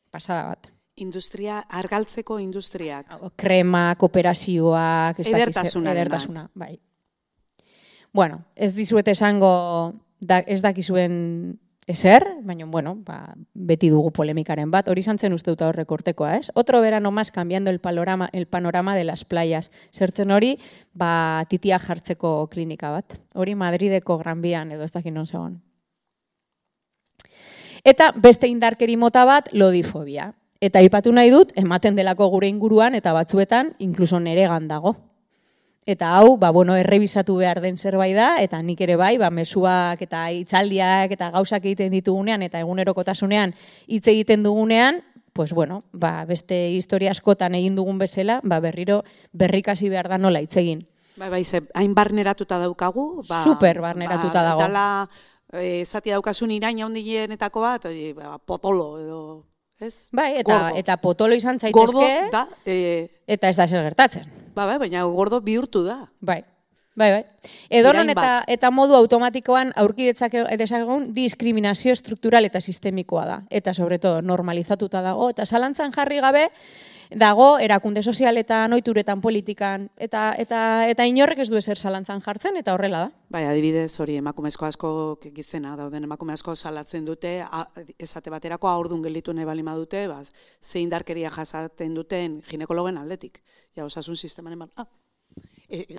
Pasada bat. Industria, argaltzeko industriak. Kremak, operazioak, edertasuna. Bai. Bueno, ez dizuet esango ez dakizuen ezer, baina, bueno, beti dugu polemikaren bat. Hori zantzen uste dut aurreko urtekoa, ez? Otro verano más cambiando el panorama de las playas. Zertzen hori, titia jartzeko klinika bat. Hori Madrideko Gran Bian edo ez dakit non zegoen. Eta beste indarkeri mota bat, lodifobia. Eta aipatu nahi dut, ematen delako gure inguruan eta batzuetan, inkluso neregan dago. Eta hau, errebisatu behar den zerbait da, eta nik ere bai, mezuak eta hitzaldiak eta gauzak egiten ditugunean eta egunerokotasunean hitz egiten dugunean, beste historia askotan egin dugun bezala, berriro berrikasi behar da nola hitz egin. Hain barneratuta daukagu. Super barneratuta dago. Dala, zati daukasun iraina hondienetako bat, potolo edo... Ez? Bai, eta potolo izan zaitezke, gordo da, eta ez da zer gertatzen. Baina gordo bihurtu da. Bai. Edonon eta modu automatikoan aurki dezakegun diskriminazio struktural eta sistemikoa da. Eta, sobre todo, normalizatuta dago. Eta zalantzan jarri gabe dago erakunde sozialetan, ohituretan, politikan, eta inorrek ez du ezer zalantzan jartzen, eta horrela da. Bai, adibidez, hori emakumezko asko gizena dauden emakume asko salatzen dute, esate baterako haurdun gelditu nahi balima dute, ze indarkeria jasaten duten ginekologen aldetik. Ja, osasun sistemanen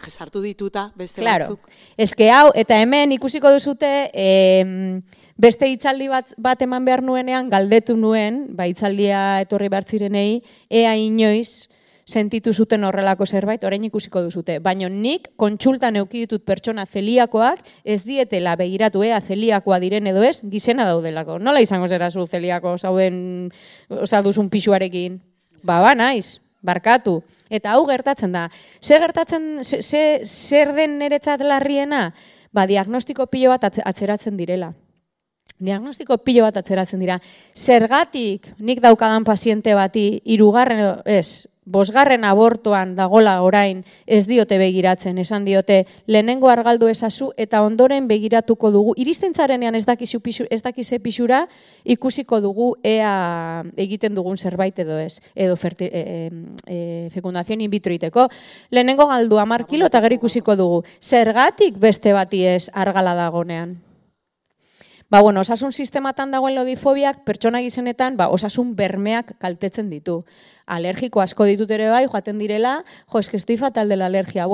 sartu dituta beste batzuk. Eske hau, eta hemen ikusiko duzute, beste hitzaldi bat eman behar nuenean, galdetu nuen, hitzaldia etorri behar zirenei, ea inoiz sentitu zuten horrelako zerbait, orain ikusiko duzute. Baina nik kontsultan eduki ditut pertsona zeliakoak, ez dietela begiratu ea zeliakoa diren edo ez, gizena daudelako. Nola izango zera zu zeliako zauden, duzun pixuarekin? Naiz, barkatu. Eta hau gertatzen da. Zer den niretzat larriena? Diagnostiko pilo bat atzeratzen direla. Diagnostiko pilo bat atzeratzen dira. Zergatik nik daukadan paziente bati 5. abortoan dagola orain ez diote begiratzen, esan diote lehenengo argaldu ezazu eta ondoren begiratuko dugu. Iristentzarenean ez dakize pixura ikusiko dugu ea egiten dugun zerbait edo ez, edo fecundación in vitro iteko. Lehenengo galdu 10 kilo eta gero ikusiko dugu. Zergatik beste bati ez argala dagonean? Osasun sistematan dagoen lodifobiak pertsona gizenetan osasun bermeak kaltetzen ditu. Alergiko asko ditut ere bai, joaten direla, eske estoy fatal de la alergia,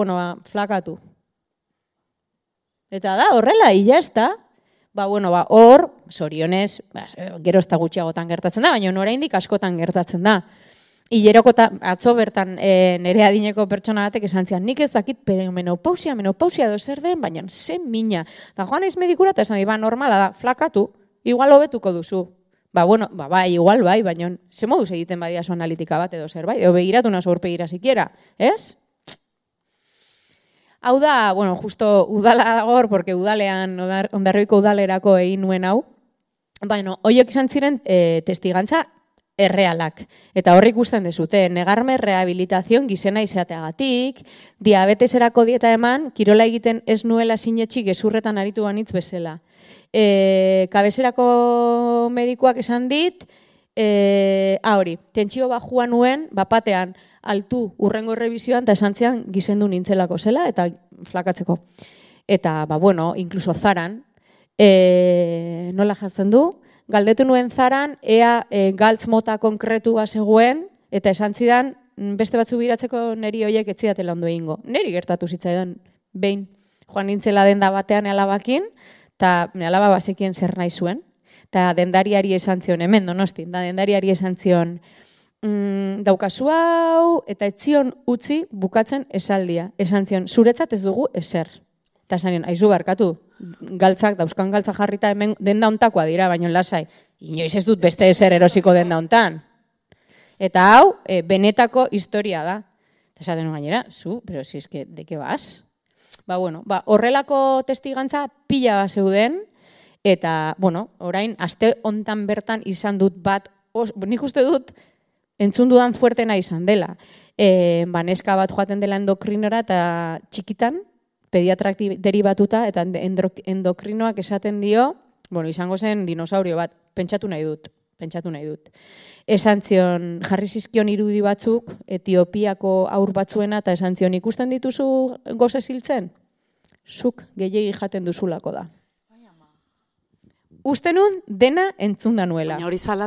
flakatu. Eta da, horrela, ya está. Hor, zorionez, gero ez da gutxiagotan gertatzen da, baina oraindik askotan gertatzen da. Hileroko atzo bertan nire adineko pertsona batek esan zian, nik ez dakit menopausia edo zer den, baina zen mina. Da joan ez medikura eta esan di, normala da, flakatu, igual hobetuko duzu. Igual bai, baina ze moduz egiten badia zu analitika bat edo zer bai, edo begiratu nazo aurpegira sikiera, ez? Hau da, justo udala dagor, porque udalean, Hondarribiko udalerako egin nuen hau, horiek izan ziren testigantza errealak. Eta horrik ikusten dezute, negarme rehabilitazion gizena izateagatik, diabeteserako dieta eman, kirola egiten ez nuela sinetxi gezurretan aritu banitz bezala. Kabeserako medikuak esan dit, hori, tentsio bajua nuen, bapatean, altu urrengo errebizioan, eta esan zian gizendu nintzelako zela, eta flakatzeko. Eta, inkluso zaran, nola jatzen du, galdetu nuen zaran, ea galtz mota konkretu zegoen, eta esan zidan, beste batzu biratzeko neri horiek ez zidatela ondo egingo. Neri gertatu zitzaidan, behin, joan nintzela denda batean alabakin, eta alaba bazekien zer nahi zuen, eta dendariari esan zion, hemen Donostin, dendariari esan zion, daukazu hau, eta etzion utzi bukatzen esaldia. Esan zion, zuretzat ez dugu ezer. Eta esan zion, aizu barkatu, galtzak, dauzkan galtzak jarrita hemen denda ontakoa dira, baino lasai. Inoiz ez dut beste ezer erosiko denda ontan. Eta hau, benetako historia da. Eta esaten gainera, pero si es que, de qué vas? Horrelako testigantza pila zeuden, eta, orain, aste hontan bertan izan dut bat, nik uste dut, entzun dudan fuertena izan dela. Neska bat joaten dela endokrinora eta txikitan, pediatrak deribatuta, eta endokrinoak esaten dio, izango zen dinosaurio bat, pentsatu nahi dut. Esan zion, jarri zizkion irudi batzuk, Etiopiako aur batzuena, eta esan zion, ikusten dituzu goze ziltzen? Zuk gehiegi jaten duzulako da. Uste nun dena entzun da nuela.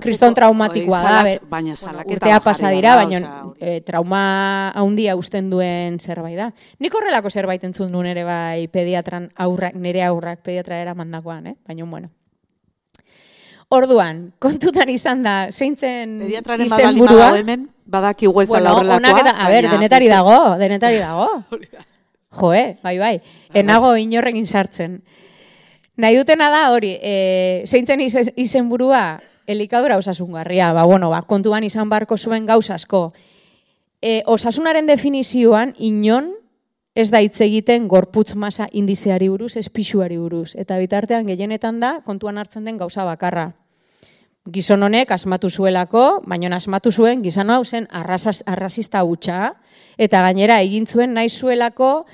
Kriston traumatikoa da, urtea pasa dira, baina trauma handia usten duen zerbait da. Nik horrelako zerbait entzun duen ere bai pediatran aurrak, nire aurrak pediatra eramandakoan, baina bueno. Orduan, kontutan izan da, zeintzen izenburua. Badaki huezala horrelakoa. Denetari dago. Joe, bai. Enago inorrekin sartzen. Nahi dutena da hori, zeintzen izenburua elikadura osasungarria. Kontuan izan barko zuen gauzasko. Osasunaren definizioan, inon ez da hitz egiten gorputz masa indizeari buruz, ez pisuari buruz. Eta bitartean gehienetan da, kontuan hartzen den gauza bakarra. Gizon honek asmatu zuelako, baina asmatu zuen gizon hau zen arrazista hutsa, eta gainera egin zuen nahi zuelako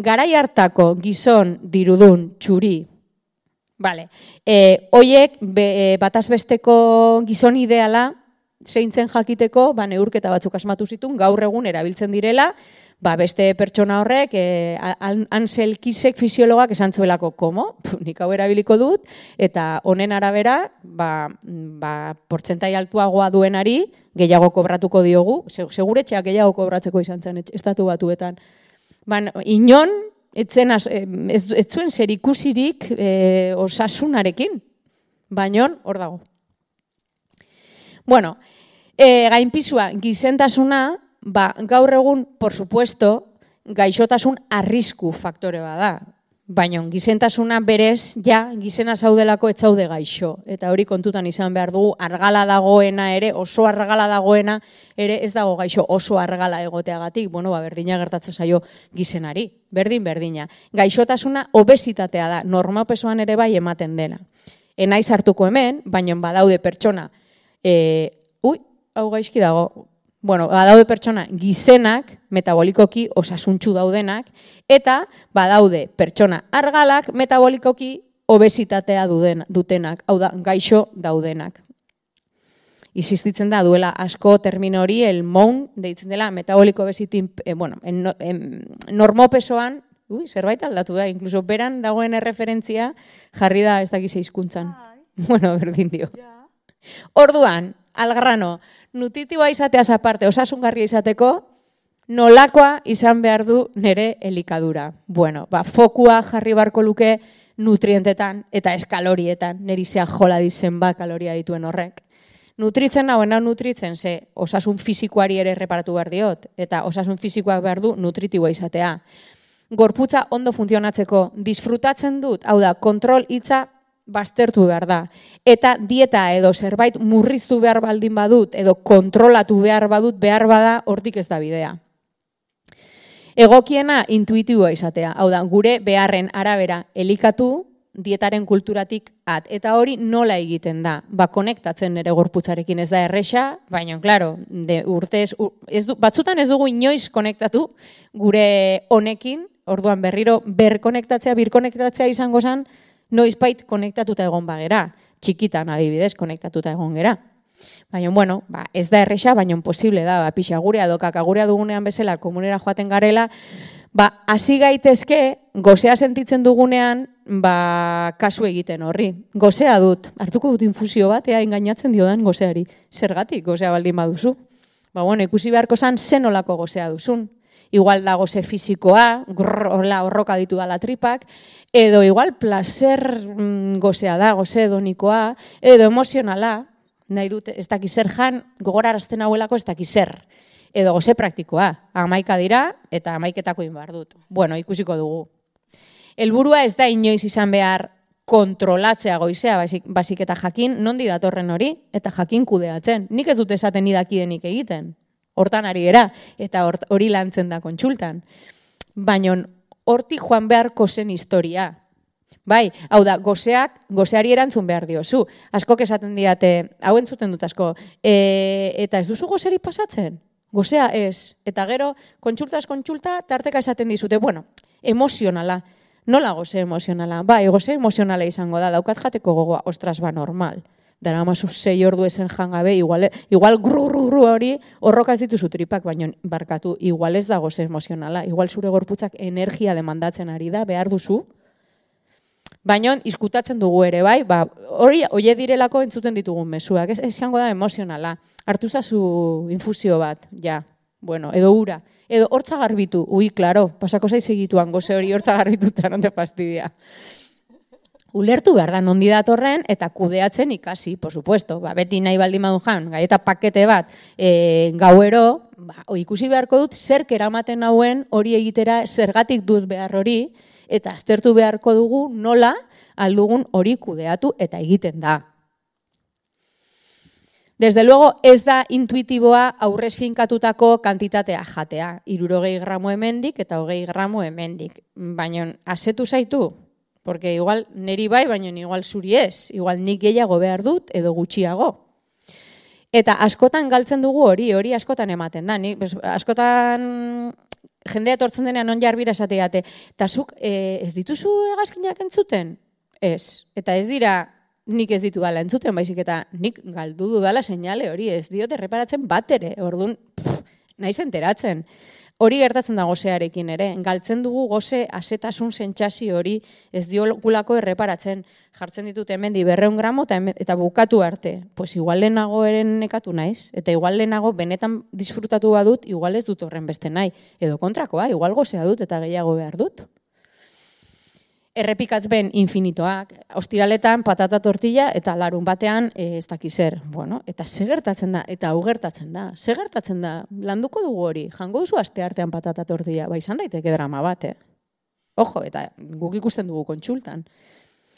garai hartako gizon dirudun txuri. Hoiek batazbesteko gizon ideala zeintzen jakiteko, neurketa batzuk asmatu zituen, gaur egun erabiltzen direla, beste pertsona horrek, Ansel Keysek fisiologak esan zuelako, komo? Nik hau erabiliko dut, eta honen arabera, portzentai altuagoa duenari, gehiago kobratuko diogu, seguretxeak gehiago kobratzeko izan zen, estatu batuetan. Inon, ez zuen zer ikusirik osasunarekin, baina hor dago. Gainpisua, gizentasuna, gaur egun, por supuesto, gaixotasun arrisku faktore bada. Baina gizentasuna berez, gizena zaudelako ez zaude gaixo. Eta hori kontutan izan behar dugu, argala dagoena ere, oso argala dagoena ere ez dago gaixo oso argala egoteagatik. Berdina gertatzen zaio gizenari. Berdina. Gaixotasuna obesitatea da, normopesoan ere bai ematen dena. Enaiz hartuko hemen, baina badaude pertsona, hau gaizki dago, badaude pertsona gizenak, metabolikoki osasuntsu daudenak, eta badaude pertsona argalak, metabolikoki obesitatea dutenak, hau da, gaixo daudenak. Insistitzen da, duela asko termino hori, el MON, deitzen dela, metaboliko obesitin, normopesoan, zerbait aldatu da, inkluso beran dagoen erreferentzia jarri da ez dakize hizkuntzan. Berdin dio. Orduan, algrano, nutritiboa izateaz aparte, osasungarria izateko, nolakoa izan behar du nire elikadura. Fokua jarri barko luke nutrientetan eta eskalorietan, niri zea jola dizen kaloria dituen horrek. Nutritzen nutritzen, ze osasun fisikoari ere reparatu behar diot, eta osasun fisikoak behar du nutritiboa izatea. Gorputza ondo funtzionatzeko, disfrutatzen dut, hau da, kontrol hitza baztertu behar da. Eta dieta edo zerbait murriztu behar baldin badut, edo kontrolatu behar badut, behar bada, hortik ez da bidea. Egokiena intuitiboa izatea, hau da, gure beharren arabera elikatu, dietaren kulturatik at. Eta hori nola egiten da? Konektatzen ere gorputzarekin ez da erresa, baina, klaro, batzutan ez dugu inoiz konektatu gure honekin, orduan berriro birkonektatzea izango zen, noizbait konektatuta egon bagera. Txikitan adibidez konektatuta egon gera. Baina, ez da erresa, baina posible da, pixa gurea edo kakagurea dugunean bezala komunera joaten garela, hasi gaitezke, gozea sentitzen dugunean, kasu egiten horri. Gozea dut, hartuko dut infusio bat, engainatzen diodan gozeari. Zergatik gozea baldin baduzu. Ikusi beharko zan, zen olako gozea duzun. Igual da goze fisikoa, horroka ditu dala tripak, edo igual placer gozea da, goze hedonikoa, edo emozionala, nahi dut, ez dakiz zer jan, gogorarazten hauelako ez dakiz zer. Edo goze praktikoa, 11 dira eta 11etako inbar dut. Ikusiko dugu. Helburua ez da inoiz izan behar kontrolatzea goizea, basik eta jakin nondi datorren hori, eta jakin kudeatzen. Nik ez dut esaten nidakidenik egiten. Hortan ari era, eta hori lantzen da kontsultan. Baina hortik joan beharko zen historia. Bai, hau da, gozeari erantzun behar diozu. Askok esaten diate, hau entzuten dut asko, eta ez duzu gozeri pasatzen? Gozea ez. Eta gero, kontsulta, tarteka esaten dizute, bueno, emozionala. Nola goze emozionala? Bai, goze emozionala izango da, daukat jateko gogoa, ostras, ba, normal. Dara mazu 6 ordu esen jangabe, igual gru hori horrokaz dituzu tripak, baina barkatu, igual ez da goze emozionala, igual zure gorputzak energia demandatzen ari da, behar duzu. Baina izkutatzen dugu ere, bai, ba, hori direlako entzuten ditugun mezuak, ez izango da emozionala. Hartu zazu infusio bat, ja, bueno, edo ura, edo hortza garbitu, klaro, pasako zaiz egituan goze hori hortza garbituta, non te fastidia. Ulertu behar da nondi datorren eta kudeatzen ikasi, por supuesto, ba, beti nahi baldin badun jan, gaieta pakete bat gauero, ba, ikusi beharko dut zerk eramaten hauen hori egitera zergatik dut behar hori, eta aztertu beharko dugu nola aldugun hori kudeatu eta egiten da. Desde luego ez da intuitiboa aurrez finkatutako kantitatea jatea, 60 gramo hemendik eta 20 gramo hemendik, baina asetu zaitu, porque igual neri bai, baina igual zuri ez, igual nik gehiago behar dut edo gutxiago. Eta askotan galtzen dugu hori askotan ematen da, askotan jendea etortzen denean on jarbira esateate, eta zuk ez dituzu hegazkinak entzuten? Ez, eta ez dira nik ez ditu dala entzuten, baizik eta nik galdu dudala seinale hori, ez diote erreparatzen bat ere, orduan naiz enteratzen. Hori gertatzen da gozearekin ere, galtzen dugu goze asetasun sentsazio hori ez diogulako erreparatzen, jartzen ditut hemen 200 gramo eta bukatu arte. Pues igual lehenago eren nekatu naiz, eta igual lehenago benetan disfrutatu badut, igual ez dut horren beste nahi. Edo kontrakoa, igual gozea dut eta gehiago behar dut. Errepikatzen infinitoak, ostiraletan patata tortilla eta larun batean ez dakiz zer. Bueno, eta ze gertatzen da, eta hau gertatzen da. Ze gertatzen da, landuko dugu hori, jango duzu aste artean patata tortilla, ba izan daiteke drama bat, Ojo, eta guk ikusten dugu kontsultan.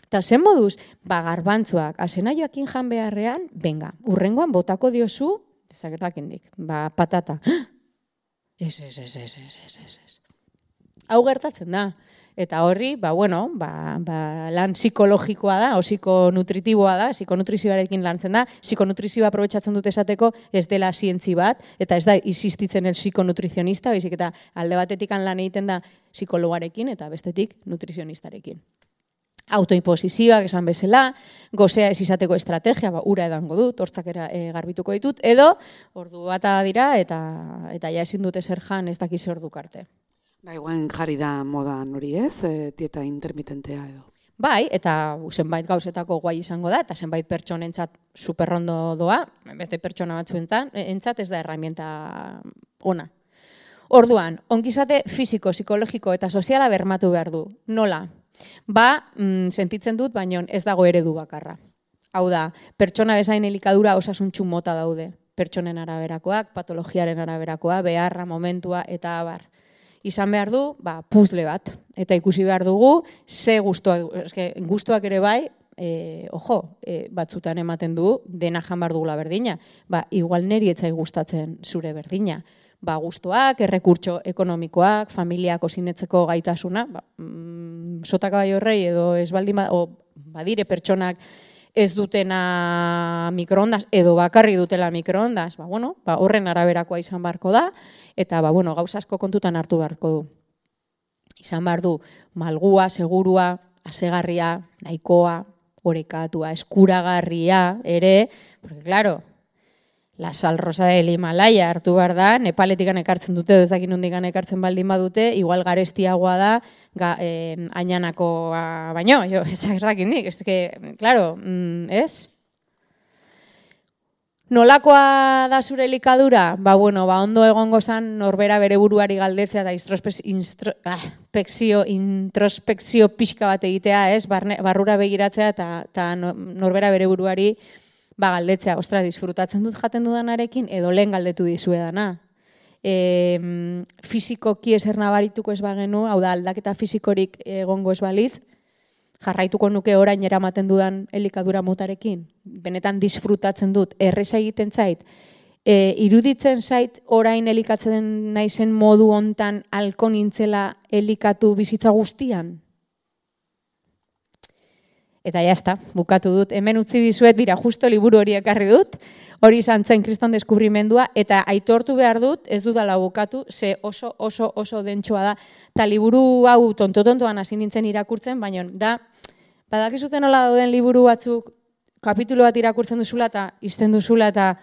Eta zen moduz, ba garbantzuak, asenaioakin jan beharrean, venga, urrengoan botako diozu, ezagertakendik, ba patata. Ez. Hau gertatzen da. Eta horri, lan psikologikoa da, o psikonutritiboa da, psikonutrizioarekin lantzen da, psikonutrizioa aprobetxatzen dut esateko ez dela zientzi bat, eta ez da existitzen el psikonutrizionista, baizik eta alde batetik lan egiten da psikologarekin eta bestetik nutrizionistarekin. Autoimposizioak esan bezala, gozea ez izateko estrategia, ura edango dut, hortzak garbituko ditut, edo ordu bata dira eta ja ezin dute zer jan ez dakiz orduk arte. Ba, igual jarri da modan hori ez, dieta intermitentea edo. Bai, eta zenbait gauzetako guai izango da, eta zenbait pertsonentzat superrondo doa, beste pertsona batzuentzat ez da herramienta ona. Orduan, ongizate fisiko, psikologiko eta soziala bermatu behar du. Nola? Ba, sentitzen dut, baina ez dago eredu bakarra. Hau da, pertsona bezain elikadura osasuntxu mota daude. Pertsonen araberakoak, patologiaren araberakoa, beharra, momentua eta abar. Izan behar du, puzle bat. Eta ikusi behar dugu, ze gustuak ere bai, batzutan ematen du, dena jan behar dugula berdina. Igual neri etzai gustatzen zure berdina. Gustuak, errekurtso ekonomikoak, familiako zinetzeko gaitasuna, sotaka bai horrei edo ez baldin badire pertsonak ez dutena mikroondas edo bakarri dutela mikroondas, horren araberakoa izan beharko da, eta gauza asko kontutan hartu beharko du. Izan behar du malgua, segurua, asegarria, nahikoa, orekatua, eskuragarria ere, porque claro, la sal rosa del Himalaya hartu behar da, Nepaletikan ekartzen dute, ez dakin nondikan ekartzen baldin badute, igual garestiagoa da, ainanakoa baino, ezagertakindik, claro, ez? Nolakoa da zure elikadura? Ondo egongo zan norbera bere buruari galdetzea eta introspekzio pixka bat egitea, ez? Barrura begiratzea eta norbera bere buruari galdetzea, disfrutatzen dut jaten dudanarekin, edo lehen galdetu dizuedana. Fizikoki ezer nabarituko ez bagenu, hau da aldaketa fizikorik egongo ez balitz, jarraituko nuke orain eramaten dudan elikadura motarekin, benetan disfrutatzen dut, erresa egiten zait, iruditzen zait orain elikatzen naizen modu hontan halko nintzela elikatu bizitza guztian. Eta jazta, bukatu dut. Hemen utzi dizuet, bira, justo liburu hori ekarri dut, hori izan zen Kriston deskubrimendua, eta aitortu behar dut, ez dudala bukatu, ze oso dentsoa da. Eta liburu hau tontoan hasi nintzen irakurtzen, baina da, badakizuten nola dauden liburu batzuk, kapitulo bat irakurtzen duzula eta izten duzula eta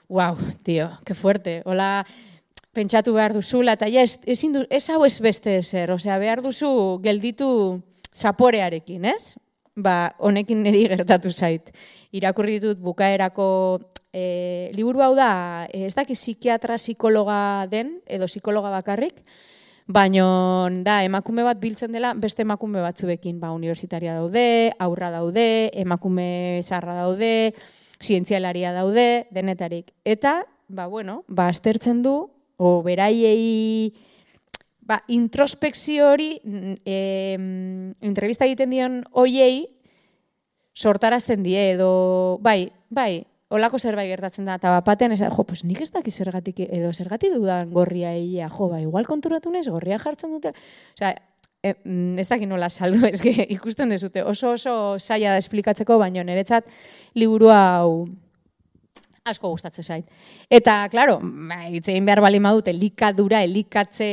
wow, tío, que fuerte. Hola, pentsatu behar duzula eta ja, ez hau ez beste ezer, osea, behar duzu gelditu zaporearekin, ez? Ba, honekin niri gertatu zait. Irakurri ditut bukaerako liburu hau da, ez daki psikiatra psikologa den, edo psikologa bakarrik, baina da, emakume bat biltzen dela beste emakume batzuekin, ba, universitaria daude, aurra daude, emakume zarra daude, zientzialaria daude, denetarik. Eta, ba, bueno, ba, aztertzen du, o beraiei, ba, introspekzio hori, entrevista egiten dion hoiei, sortarazten die, edo, bai, holako zerbait gertatzen da, eta batean, pues nik ez daki zergatik, edo zergatik dudan gorria egia, ba, igual konturatu nez, gorria jartzen dute, osea, ez dakit nola saldu, ez ikusten dezute, oso zaila da esplikatzeko, baina niretzat liburu hau asko gustatzen zait. Eta, klaro, hitzein behar bali madut, elikadura, elikatze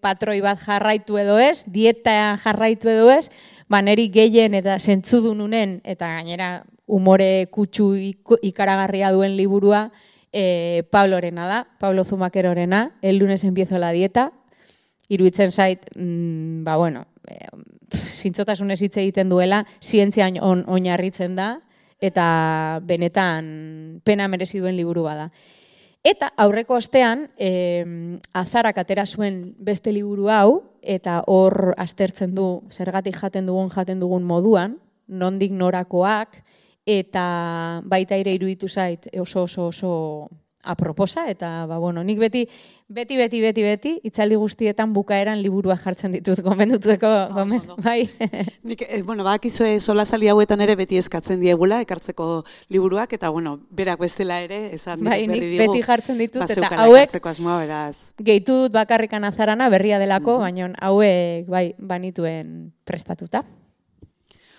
patroi bat jarraitu edo ez, dieta jarraitu edo ez, ba neri gehien eta zentzudununen, eta gainera umore kutsu ikaragarria duen liburua, Pablorena da, Pablo Zumakerorena, el lunes empiezo la dieta, iruditzen zait, ba bueno, zintzotasunez hitz egiten duela, zientzian oinarritzen da, eta benetan pena merezi duen liburu bada. Eta aurreko astean, Azarak atera zuen beste liburu hau, eta hor aztertzen du zergatik jaten dugun moduan, nondik norakoak, eta baita ere iruditu zait oso aproposa, eta ba, bueno, nik beti, itzaldi guztietan bukaeran liburua jartzen ditut, gomenduteko, bai. Nik, bakizue solasali hauetan ere beti eskatzen diegula, ekartzeko liburuak, eta, bueno, berak bezala ere, esan berri digu. Nik beti jartzen ditut, eta hauek, asmoa, gehitu dut bakarrikan Azarana, berria delako, baina hauek, bai, banituen prestatuta.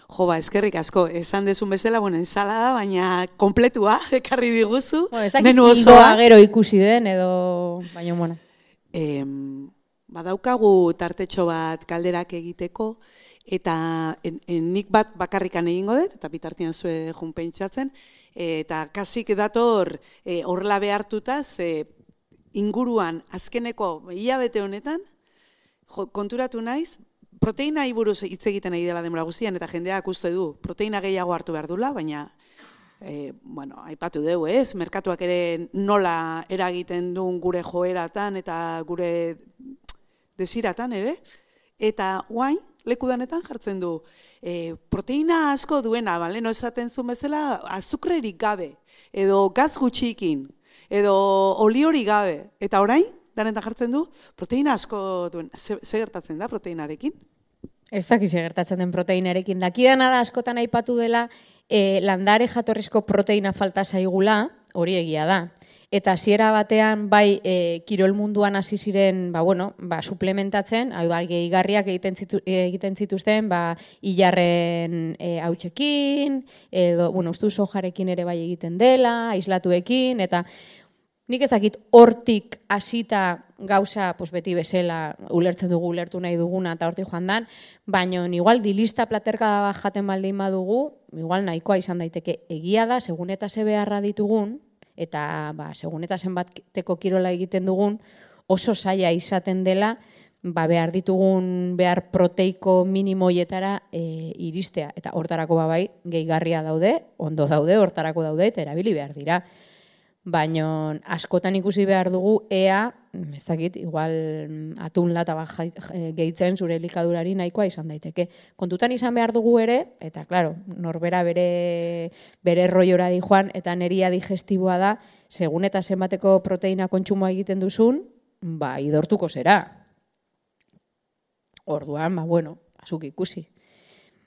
Jo, ba, eskerrik asko, esan dezun bezala, bueno, ensalada, baina kompletua, ekarri diguzu, menu osoa. Gero ikusi den, edo, baina, bueno. Badaukagu tartetxo bat kalderak egiteko, eta nik bat bakarrikan egingo dut, eta bitartian zue jun pentsatzen, eta kasik dator horrela behartuta, ze inguruan azkeneko hilabete honetan, konturatu naiz, proteina buruz hitz egiten ari dela denbora guztian, eta jendeak uste du, proteina gehiago hartu behar dula, baina, aipatu dugu, ez? Merkatuak ere nola eragiten duen gure joeratan eta gure desiratan ere, eta guain, lekudanetan jartzen du, proteina asko duena, leno esaten zuen bezala, azukrerik gabe, edo gaz gutxikin, edo oliorik gabe, eta orain, danetan jartzen du, proteina asko duen. Ze gertatzen da proteinarekin? Ez dakiz gertatzen den proteinarekin. Dakidana da askotan aipatu dela landare jatorrizko proteina falta zaigula, hori egia da. Eta hasiera batean bai kirol munduan hasi ziren, suplementatzen, gehigarriak egiten zituzten, ilarren hautsekin, edo ustu sojarekin ere bai egiten dela, aislatuekin, eta nik ez dakit hortik hasita gauza beti bezala ulertzen dugu, ulertu nahi duguna eta hortik joan dan, baina igual dilista platerka bat jaten baldin badugu, igual nahikoa izan daiteke egia da, segun eta ze beharra ditugun, eta segun eta zenbateko kirola egiten dugun, oso zaila izaten dela, behar ditugun behar proteiko minimoietara iristea. Eta hortarako bai, gehigarria daude, ondo daude, hortarako daude, eta erabili behar dira. Baina askotan ikusi behar dugu ea, ez dakit, igual atun lata gehitzen zure elikadurari nahikoa izan daiteke. Kontutan izan behar dugu ere, eta klaro, norbera bere roiora di joan, eta neria digestiboa da, segun eta zenbateko proteina kontsumoa egiten duzun, idortuko zera. Orduan, azuk ikusi.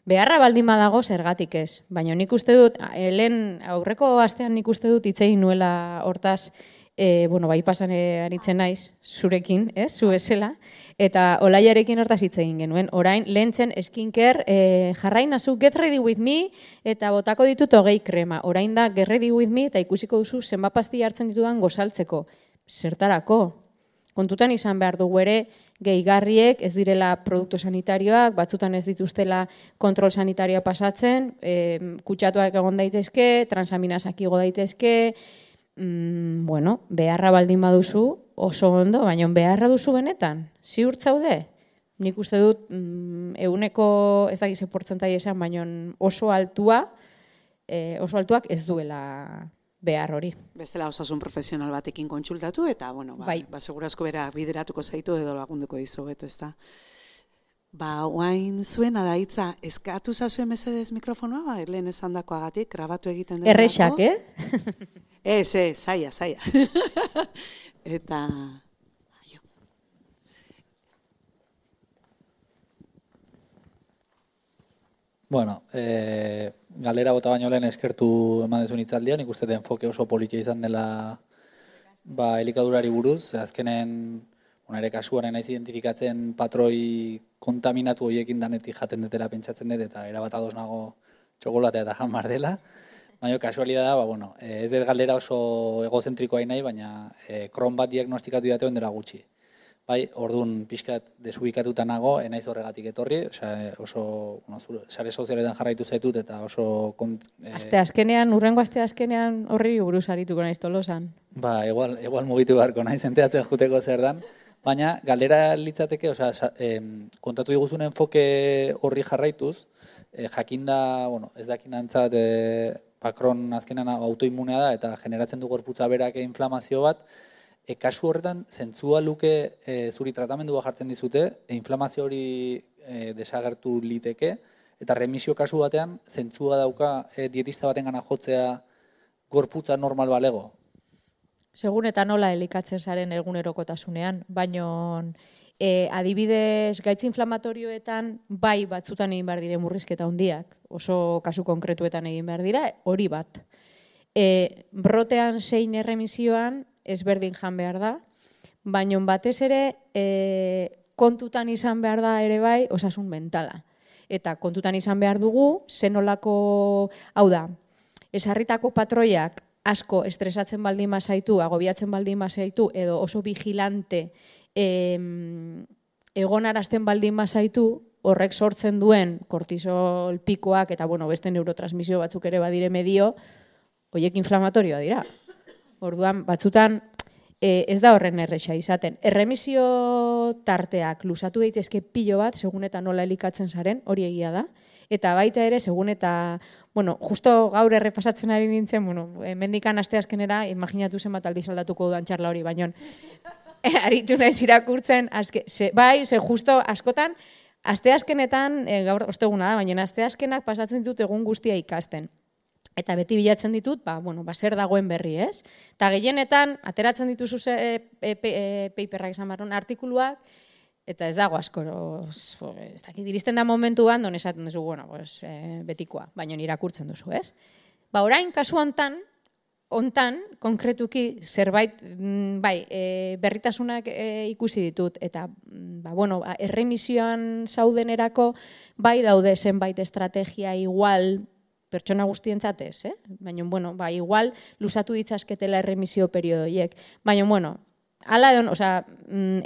Beharra baldin badago zergatik ez, baina nik uste dut, lehen aurreko astean nik uste dut hitz egin nuela hortaz, bai pasan aritzen naiz, zurekin, zu bezala, eta Olaiarekin hortaz hitz egin genuen. Orain, lehentzen skincare, jarrai nazu get ready with me, eta botako ditut 20 krema. Orain da get ready with me, eta ikusiko duzu zenbat pastilla hartzen ditudan gozaltzeko. Zertarako? Kontutan izan behar dugu ere, gehigarriek ez direla produktu sanitarioak, batzutan ez dituztela kontrol sanitarioa pasatzen, kutsatuak egon daitezke, transaminasak igo daitezke, beharra baldin baduzu, oso ondo, baina beharra duzu benetan, ziur zaude? Nik uste dut, eguneko, ez dakize portzentai esan, baina oso altuak ez duela behar hori. Bestela osasun profesional batekin kontsultatu, eta, segurazko bera bideratuko zaitu edo lagunduko dizu, beto, ez da. Oain zuena da hitza, eskatu zazuen mesedez mikrofonoa, lehen esan dakoagatik, grabatu egiten den. Errexak, zaila. Eta... Bueno, galera bota baino lehen eskertu eman dezun hitzaldia, nik uste enfoke oso politia izan dela elikadurari buruz, azkenen ere kasuaren naiz identifikatzen patroi kontaminatu horiekin danetik jaten detela pentsatzen dut, eta erabat ados nago txokolatea eta jamar dela. Baina kasualidad da, ez dut galdera oso egozentrikoa nahi, baina Crohn bat diagnostikatu dateoen dela gutxi. Orduan pixkat desubikatuta nago, enaiz horregatik etorri, oso sare sozialetan jarraitu zaitut eta oso... Urrengo aste azkenean horri buruz arituko naiz Tolosan. Igual mugitu beharko naiz enteatzen juteko zer dan, baina galdera litzateke, kontatu diguzun enfoke horri jarraituz, jakinda, ez dakin antzat, Crohn azkenan autoimmunea da eta generatzen du gorputza berak inflamazio bat, kasu horretan, zentzua luke zuri tratamendua jartzen dizute, inflamazio hori desagertu liteke, eta remisio kasu batean, zentzua dauka dietista baten gana jotzea gorputza normal balego? Segun eta nola elikatzen zaren egunerokotasunean, baino adibidez gaitz inflamatorioetan batzutan egin behar dire murrizketa handiak, oso kasu konkretuetan egin behar dira, hori bat. Brotean zein erremisioan, ezberdin jan behar da, baina batez ere kontutan izan behar da ere osasun mentala. Eta kontutan izan behar dugu, zenolako, hau da, esarritako patroiak asko estresatzen baldin mazaitu, agobiatzen baldin mazaitu, edo oso vigilante egonarazten baldin mazaitu, horrek sortzen duen kortisol pikoak eta beste neurotransmisio batzuk ere badire medio, horiek inflamatorioa dira. Orduan, batzutan ez da horren erresa izaten. Erremisio tarteak luzatu daitezke pilo bat, segun eta nola elikatzen zaren, hori egia da. Eta baita ere, segun eta, justo gaur errepasatzen ari nintzen, mendikan asteazkenera, imaginatu zenbat aldiz aldatuko dudan txarla hori, baina aritu naiz irakurtzen, justo askotan, asteazkenetan, gaur osteguna da, baina asteazkenak pasatzen ditut egun guztia ikasten. Eta beti bilatzen ditut, zer dagoen berri, ez? Eta gehienetan, ateratzen dituzu paperrak esan barron, artikuluak, eta ez dago asko, ez dakit, iristen da momentuan, don esaten duzu, betikoa, baina irakurtzen duzu, ez? Orain, kasu hontan, konkretuki, zerbait, berritasunak ikusi ditut, eta, erremisioan zaudenerako, daude zenbait estrategia igual, pertsona guztientzat ez, baina, igual, luzatu ditzazketela erremisio periodoiek. Baina,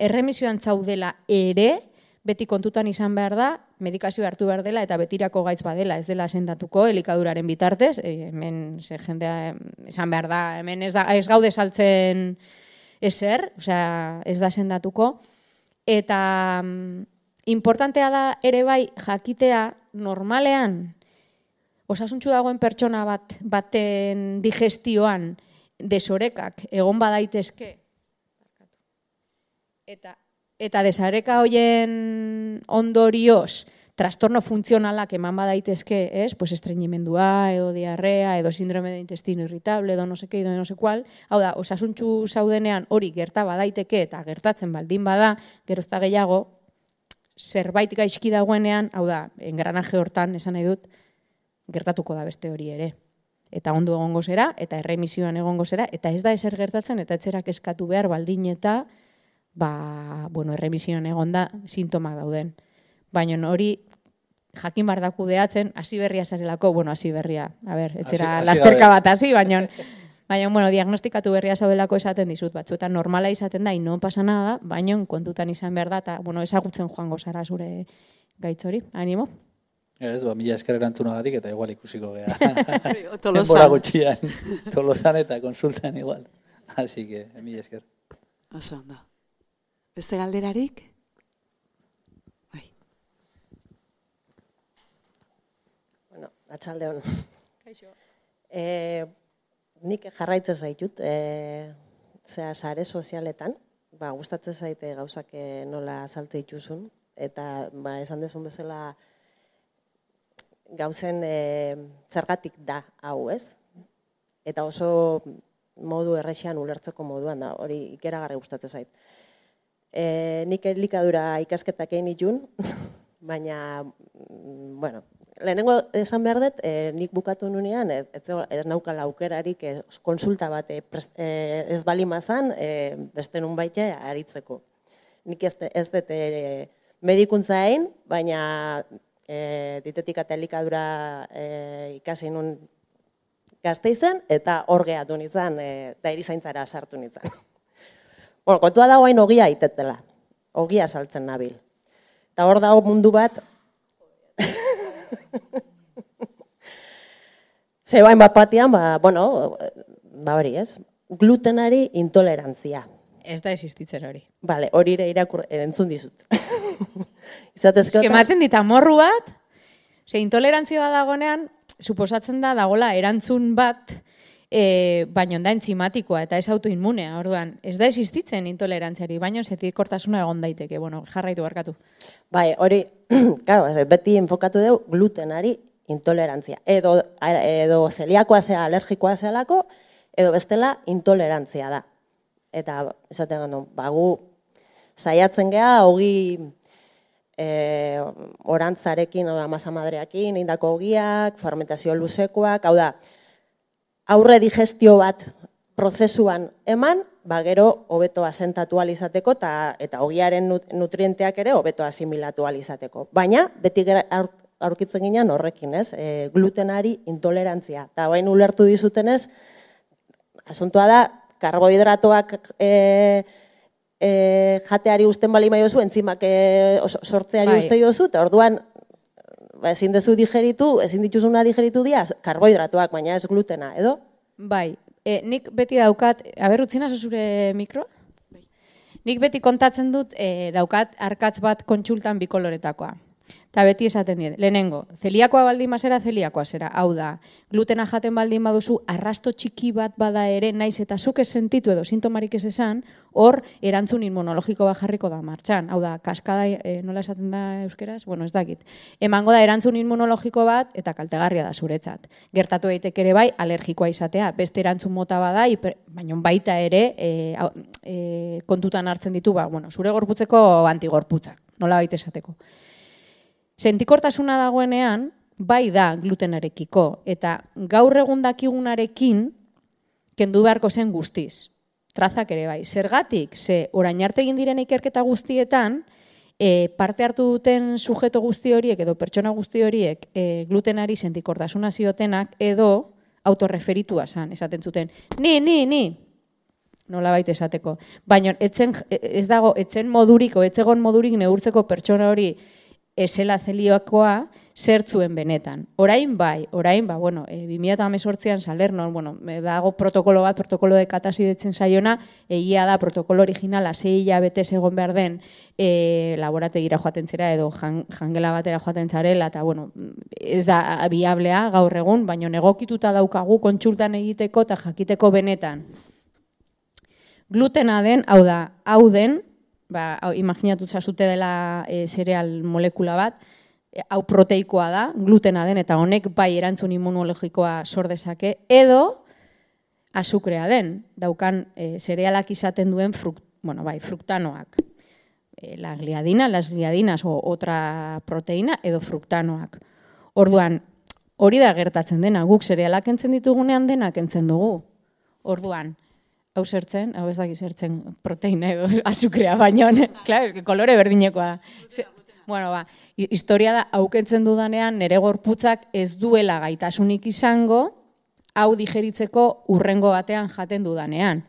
erremisioan zaudela ere, beti kontutan izan behar da, medikazio hartu behar dela eta betirako gaitz badela, ez dela sendatuko elikaduraren bitartez, hemen jendea esan behar da, hemen ez gaude saltzen ezer, ez da sendatuko, eta importantea da ere jakitea normalean, osasuntsu dagoen pertsona baten digestioan desorekak egon badaitezke eta desareka hoien ondorioz trastorno funtzionalak eman badaitezke, estreñimendua edo diarrea edo síndrome de intestino irritable edo no seke edo no sekual, hau da, osasuntsu zaudenean hori gerta badaiteke eta gertatzen baldin bada, gerozta gehiago, zerbait gaizki dagoenean, hau da, engranaje hortan, esan nahi dut, gertatuko da beste hori ere. Eta ondo egongo zera, eta erremisioan egongo zera, eta ez da ezer gertatzen, eta etzerak eskatu behar baldin eta, erremisioan egonda sintomak dauden. Baina hori, jakin bar da kudeatzen, hasi berria zarelako, hasi berria, etzera lasterka bat hasi, baina, diagnostikatu berria zaudelako esaten dizut, batzuetan normala izaten da, non pasa nada, baina kontutan izan behar da, eta, ezagutzen joango zara zure gaitz hori, animo? Ez, mila esker erantzunagatik eta igual ikusiko gea. Tolosan. Gutxian, Tolosan eta konsultan igual. Así que, mila esker. Oso ondo. Beste galderarik? Bai. Bueno, atxaldeon. Kaixo. Nik jarraitzen zaitut, sare sozialetan, gustatzen zaite gauzak nola saltze dituzun, eta esan dezun bezala gauzen zergatik da hau, ez? Eta oso modu errexean ulertzeko moduan da, hori ikeragarri gustatzen zait. Nik elikadura ikasketak egin itun, baina, lehenengo esan behar dut, nik bukatu nunean, ez naukala aukerarik konsulta bat ez bali mazan, beste nun baita aritzeko. Nik ez dut medikuntza egin, baina dietetika eta elikadura ikasi nun Gasteizen, eta hor gehatu nintzen, eta erizaintzara sartu nintzen. Kontua dago hain ogia itetela, ogia saltzen nabil. Eta hor dago mundu bat, zebain bat batian, hori ez, glutenari intolerantzia. Ez da existitzen hori. Bale, hori ere entzun dizut. Ematen dit amorru bat, intolerantzia bat dagonean, suposatzen da dagola erantzun bat, baina da entzimatikoa eta ez autoinmunea, orduan, ez da existitzen intolerantziari, baina zetikortasuna egon daiteke, jarraitu barkatu. Bai, hori, beti enfokatu dugu glutenari intolerantzia. Edo zeliakoa zea, alergikoa zealako, edo bestela intolerantzia da. Eta, esaten gandu, gu saiatzen geha, hogi orantzarekin, masa madreakin, indako hogiak, fermentazio luzekoak, hau da, aurre digestio bat prozesuan eman, gero hobeto asentatu alizateko eta hogiaren nutrienteak ere hobeto asimilatu alizateko. Baina, beti aurkitzen ginen horrekin, ez? Glutenari intolerantzia. Eta bain ulertu dizutenez, asuntoa da, karbohidratoak jateari usten bali maiozu, entzimak sortzeari uste jozu, eta orduan ezin dezu digeritu, ezin dituzuna digeritu diaz, karbohidratoak, baina ez glutena, edo? Bai, nik beti daukat, utzina zure mikroa? Nik beti kontatzen dut daukat arkatz bat kontsultan bikoloretakoa. Eta beti esaten dut, lehenengo, zeliakoa baldin bazera, zeliakoa zera. Hau da, glutena jaten baldin baduzu, arrasto txiki bat bada ere, naiz eta zuk ez sentitu edo sintomarik ez esan, hor erantzun inmunologiko bat jarriko da martxan. Hau da, kaskada, nola esaten da euskeraz? Ez dakit. Emango da erantzun inmunologiko bat eta kaltegarria da zuretzat. Gertatu daiteke ere bai, alergikoa izatea. Beste erantzun mota bada, baina baita ere kontutan hartzen ditu, zure gorputzeko antigorputzak, nola baita esateko. Sentikortasuna dagoenean, bai da glutenarekiko, eta gaur egun dakigunarekin kendu beharko zen guztiz. Trazak ere bai. Zergatik, orain arte egin diren ikerketa guztietan, parte hartu duten sujeto guzti horiek edo pertsona guzti horiek glutenari sentikortasuna ziotenak edo autorreferitua esaten zuten. Ni! Nola baita esateko. Baina ez dago, etzen modurik, etzegon modurik neurtzeko pertsona hori esela zelioakoa zertzuen benetan. Orain, 2018an Salernon, dago protokolo bat, protokolo de katasidetzen zaiona, egia da protokolo originala 6 hilabete egon behar den laborategira joaten zera edo jangela batera joaten zarela, eta ez da biablea gaur egun, baina egokituta daukagu kontsultan egiteko eta jakiteko benetan. Glutena den, hau den, imaginatu zazute dela zereal molekula bat, hau proteikoa da, glutena den, eta honek bai erantzun immunologikoa sor dezake, edo azukrea den, daukan zerealak izaten duen fruktanoak. la gliadina, las gliadinas o otra proteína edo fruktanoak. Orduan, hori da gertatzen dena, guk zerealak entzen ditugunean denak entzen dugu. Orduan, hau zertzen, hau ez dakiz zertzen proteina edo azukrea baino, claro, kolore berdinekoa da. Bueno, historia da, haukentzen dudanean, nere gorputzak ez duela gaitasunik izango, hau digeritzeko urrengo batean jaten dudanean.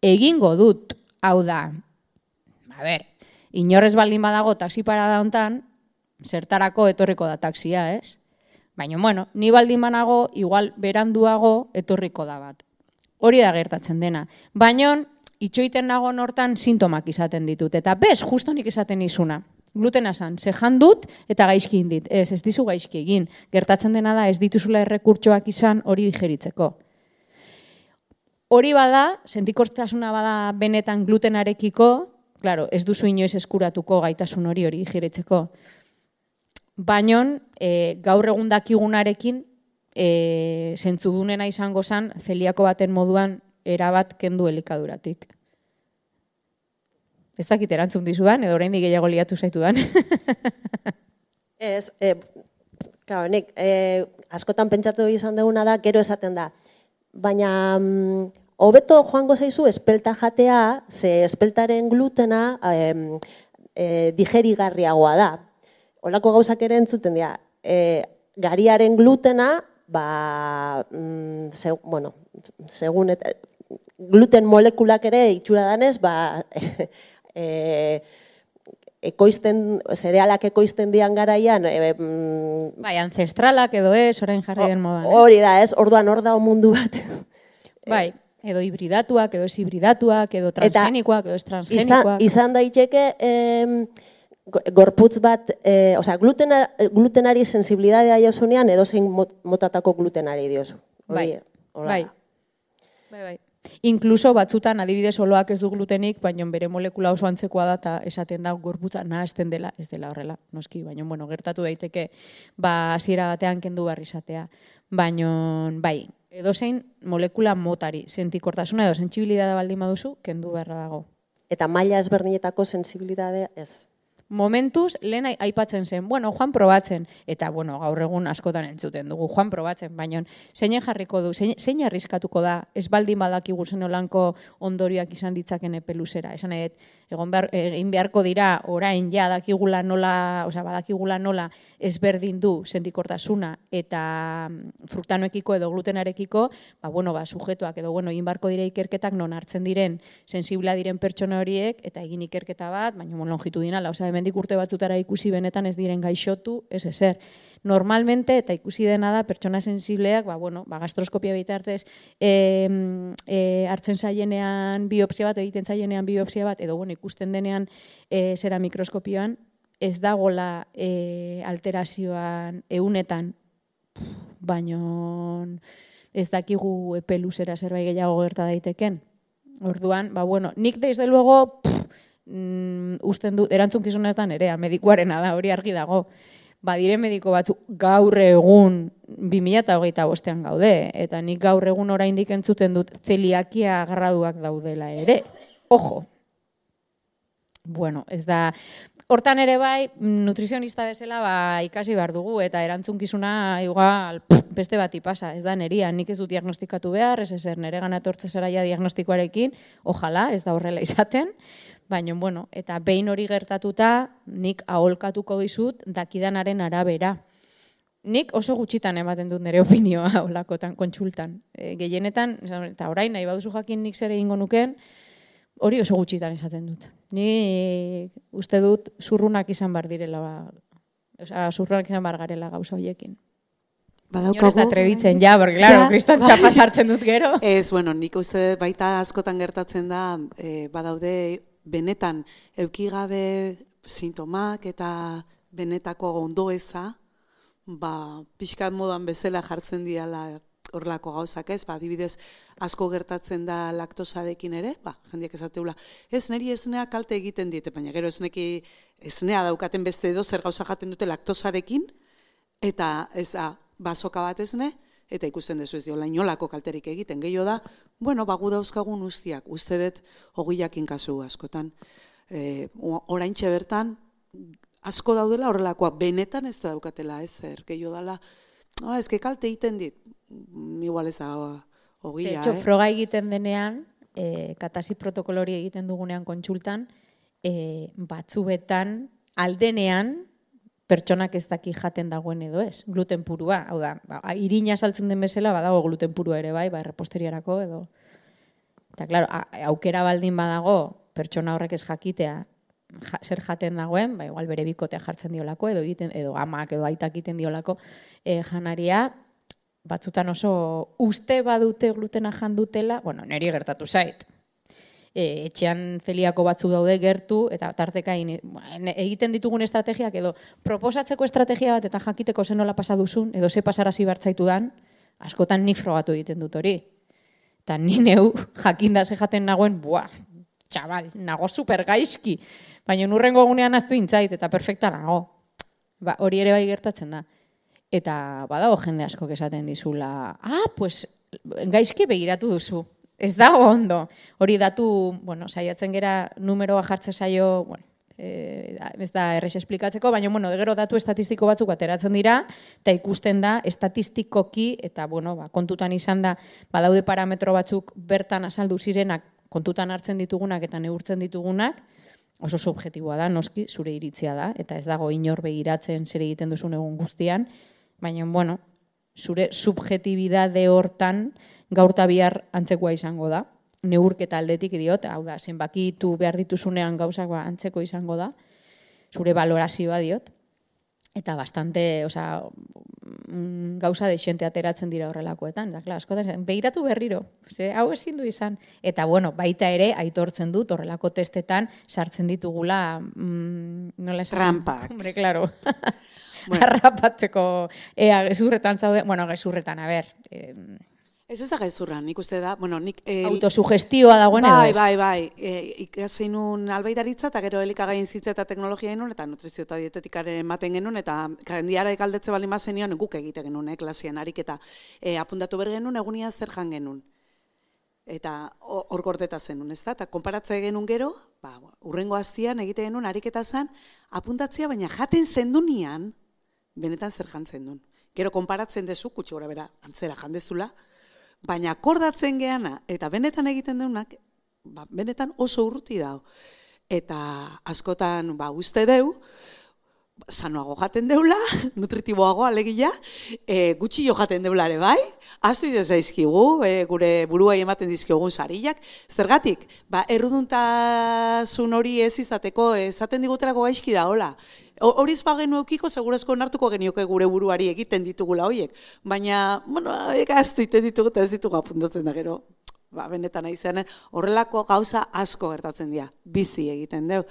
Egingo dut, hau da, inorrez baldin badago taxi parada hontan, zertarako etorriko da taxia, ez? Baina, bueno, ni baldin banago, igual beranduago etorriko da bat. Hori da gertatzen dena. Baina, itxoiten nago hortan sintomak izaten ditut. Eta bez, justo nik izaten izuna. Glutena zan, zehan dut eta gaizki indit. Ez dizu gaizki egin. Gertatzen dena da, ez dituzula errekurtsoak izan hori digeritzeko. Hori bada, sentikortasuna bada benetan glutenarekiko, claro, ez duzu inoiz eskuratuko gaitasun hori digeritzeko. Baina, gaur egun dakigunarekin, zentzudunena izango zen, zeliako baten moduan erabat kendu elikaduratik. Ez dakit erantzun dizudan, edo oraindik gehiago liatu zaitudan. Ez, nik askotan pentsatu izan duguna da, gero esaten da. Baina, hobeto joango zaizu espelta jatea, ze espeltaren glutena digerigarriagoa da. Olako gauzak ere entzuten dira. Gariaren glutena, segun gluten molekulak ere itxura danez, zerealak ekoizten dian garaian. Bai, ancestralak edo ez, orain jarri den modan. Hori da, ez, orduan hor da mundu bat. Bai, edo hibridatuak, edo ez hibridatuak, edo transgenikoak, edo ez transgenikoak. Izan daiteke gorputz bat, glutenari sensibilidadea diozunean, edo zein motatako glutenari diozu. Bai. Inkluso batzutan adibidez oloak ez du glutenik, baina bere molekula oso antzekoa da eta esaten da gorputza nahazten dela, ez dela horrela, noski, baina gertatu daiteke hasiera batean kendu behar izatea. Baina, bai, edozein molekula motari, sentikortasuna edo sentsibilidadea baldin baduzu, kendu beharra dago. Eta maila ezberdinetako sentsibilidadea ez? Momentuz, lehen aipatzen zen, joan probatzen, eta gaur egun askotan entzuten dugu, joan probatzen, baina zeinen jarriko du, zein arriskatuko da, ez baldin badakigu zen olanko ondorioak izan ditzaken epe luzera. Esan edo, egin beharko dira, orain ja badakigula nola ezberdin du sentikortasuna eta fruktanoekiko edo glutenarekiko, sujetuak edo egin beharko dira ikerketak non hartzen diren, sensibla diren pertsona horiek, eta egin ikerketa bat, baina longitudinala, hemendik urte batzutara ikusi benetan ez diren gaixotu, ez ezer. Normalmente, eta ikusi dena da, pertsona sensibleak, gastroskopia bitartez, hartzen zaienean biopsia bat, egiten zaienean biopsia bat, edo ikusten denean zera mikroskopioan, ez dagola alterazioan eunetan, baino ez dakigu epe luzera zerbait gehiago gerta daiteken. Orduan, nik desde luego, usten du, erantzunkizuna ez da nerea, medikuarena da, hori argi dago. Badire mediko batzu gaur egun 2025ean gaude, eta nik gaur egun oraindik entzuten dut zeliakia graduak daudela ere. Ojo. Bueno, ez da, hortan ere bai, nutrizionista bezala ikasi behar dugu, eta erantzunkizuna igual beste bati pasa, ez da neria, nik ez dut diagnostikatu behar, ez ezer nere gana etortze zaraia diagnostikoarekin, ojala, ez da horrela izaten, baina, eta behin hori gertatuta, nik aholkatuko dizut dakidanaren arabera. Nik oso gutxitan ematen dut nire opinioa olakotan, kontsultan. Gehienetan, eta orain nahi baduzu jakin nik zer egingo nuken, hori oso gutxitan esaten dut. Ni uste dut zurrunak izan bar direla, zurrunak izan bar garela gauza horiekin. Badaukagu. Ez da trebitzen, porque claro, kriston txapa sartzen dut gero. Ez, nik uste baita askotan gertatzen da, badaude benetan eukigabe sintomak eta benetako ondoeza, pixkat modan bezala jartzen diala horrelako gauzak ez, adibidez asko gertatzen da laktosarekin ere, jendeak esateula, ez niri esnea kalte egiten diete, baina gero esnea daukaten beste edo zer gauza jaten dute laktosarekin, eta ez da, basoka bat esne, eta ikusten dezu ez diola inolako kalterik egiten. Gehiago da, gu dauzkagun ustiak, uste dut 20 kasu askotan. oraintxe bertan, asko daudela horrelakoa, benetan ez da daukatela ezer, gehiago dela, ezke kalte egiten dit, igual ez da ogia, froga egiten denean, katasi protokolori egiten dugunean kontsultan, batzuetan, aldenean, pertsonak ez daki jaten dagoen edo ez, gluten purua, hau da, irina saltzen den bezala, badago gluten purua ere bai, reposteriarako edo. Eta, klaro, aukera baldin badago, pertsona horrek ez jakitea, zer jaten dagoen, igual bere bikotea jartzen diolako, edo amak edo aitak egiten diolako janaria, batzutan oso uste badute glutena jandutela, bueno, niri gertatu zait. Etxean zeliako batzu daude gertu, eta tarteka egiten ditugun estrategiak, edo proposatzeko estrategia bat, eta jakiteko zen nola pasa duzun, edo ze pasarazi bertzaitu dan, askotan nik frogatu egiten dut hori. Eta ni neu jakinda ze jaten nagoen, txabal, nago super gaizki, baina nurrengo egunean aztu intzait, eta perfekta nago. Hori ere bai gertatzen da. Eta badago jende askok esaten dizula, pues gaizki begiratu duzu. Ez dago ondo. Hori datu, saiatzen gera numeroa jartze saio, ez da errez esplikatzeko, baina, gero datu estatistiko batzuk ateratzen dira, eta ikusten da, estatistikoki, eta, kontutan izan da, badaude parametro batzuk bertan azaldu zirenak, kontutan hartzen ditugunak eta neurtzen ditugunak, oso subjektiboa da, noski, zure iritzia da, eta ez dago inor begiratzen zer egiten duzun egun guztian, baina, zure subjektibidade hortan, gaur eta bihar antzekoa izango da. Neurketa aldetik diot, hau da, zenbakitu behar dituzunean gauzak antzeko izango da, zure valorazioa diot, eta bastante, gauza dexente ateratzen dira horrelakoetan, da, klar, askotan, behiratu berriro, hau ezin du izan, eta, baita ere, aitortzen dut horrelako testetan sartzen ditugula, nola esan? Trampak. Hombre, klaro. Harrapatzeko, gezurretan zaude, gezurretan, a ber, ez da gezurra, nik uste da, nik... Autosugestioa dagoen edo ez? Bai, ikasein nun albaidaritza, eta gero elikagaien zitza eta teknologia genuen, eta nutrizio eta dietetikaren ematen genuen, eta jendiara ekaldetze bali mazen nion, guk egite genuen, klasien ariketa. Apuntatu behar genuen, egunian zer jan genuen. Eta hor gordeta zenun, ez da? Eta konparatze genuen gero, urrengo aztian egite genuen ariketa zen, apuntatzea, baina jaten zendunian, benetan zer jantzen duen. Gero konparatzen dezu, kutsi gora bera, antzera jandezula, baina akordatzen geana, eta benetan egiten deunak, benetan oso urruti dago. Eta askotan, uste deu, sanoago jaten deula, nutritiboago alegia, gutxi jo jaten deula ere bai, aztu idez daizkigu, gure buruai ematen dizkiogun sarillak, zergatik, erruduntasun hori ez izateko, esaten digutelako gaizki da, hola, horiz bagenu eukiko, segurazko onartuko genioke gure buruari egiten ditugula horiek. Baina, aztu iten ditugu eta ez ditugu apuntatzen da gero. Benetan aizean, horrelako gauza asko gertatzen dira. Bizi egiten deu.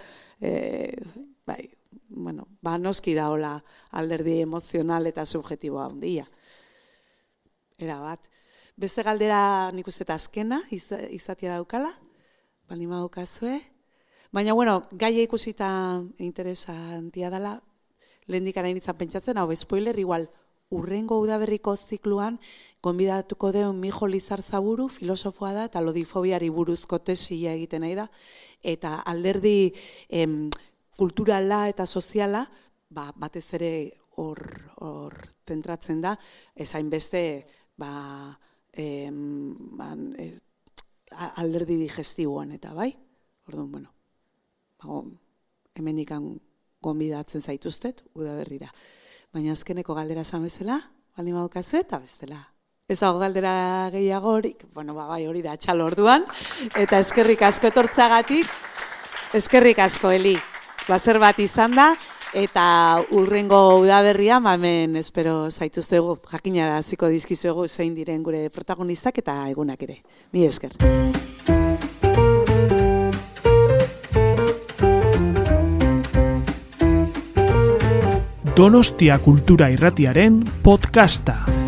Noski da hola alderdi emozional eta subjektiboa handia. Era bat. Beste galdera nik uste eta azkena izatea daukala. Balima daukazue. Baina, gaia ikusita interesantia dela, lehendik arainitzan pentsatzen, spoiler, igual, urrengo udaberriko zikluan, gonbidatuko deun Mijo Lizarzaburu, filosofoa da, eta lodifobiari buruzko tesia egiten nahi da, eta alderdi kulturala eta soziala, batez ere hor tentratzen da, ezain beste, alderdi digestiboan eta bai, orduan, hemendikan gonbidatzen zaituztet, udaberrira. Baina azkeneko galdera esan bezala, bali maukazu eta bestela. Ez dago galdera gehiagorik, bai hori da txalo orduan, eta eskerrik asko etortzagatik, eskerrik asko, Eli. Plazer bat izan da, eta urrengo udaberria, hemen espero zaituztegu, jakinara hasiko dizkizuegu zein diren gure protagonistak eta egunak ere. Mi esker. Donostia Kultura Irratiaren podcasta.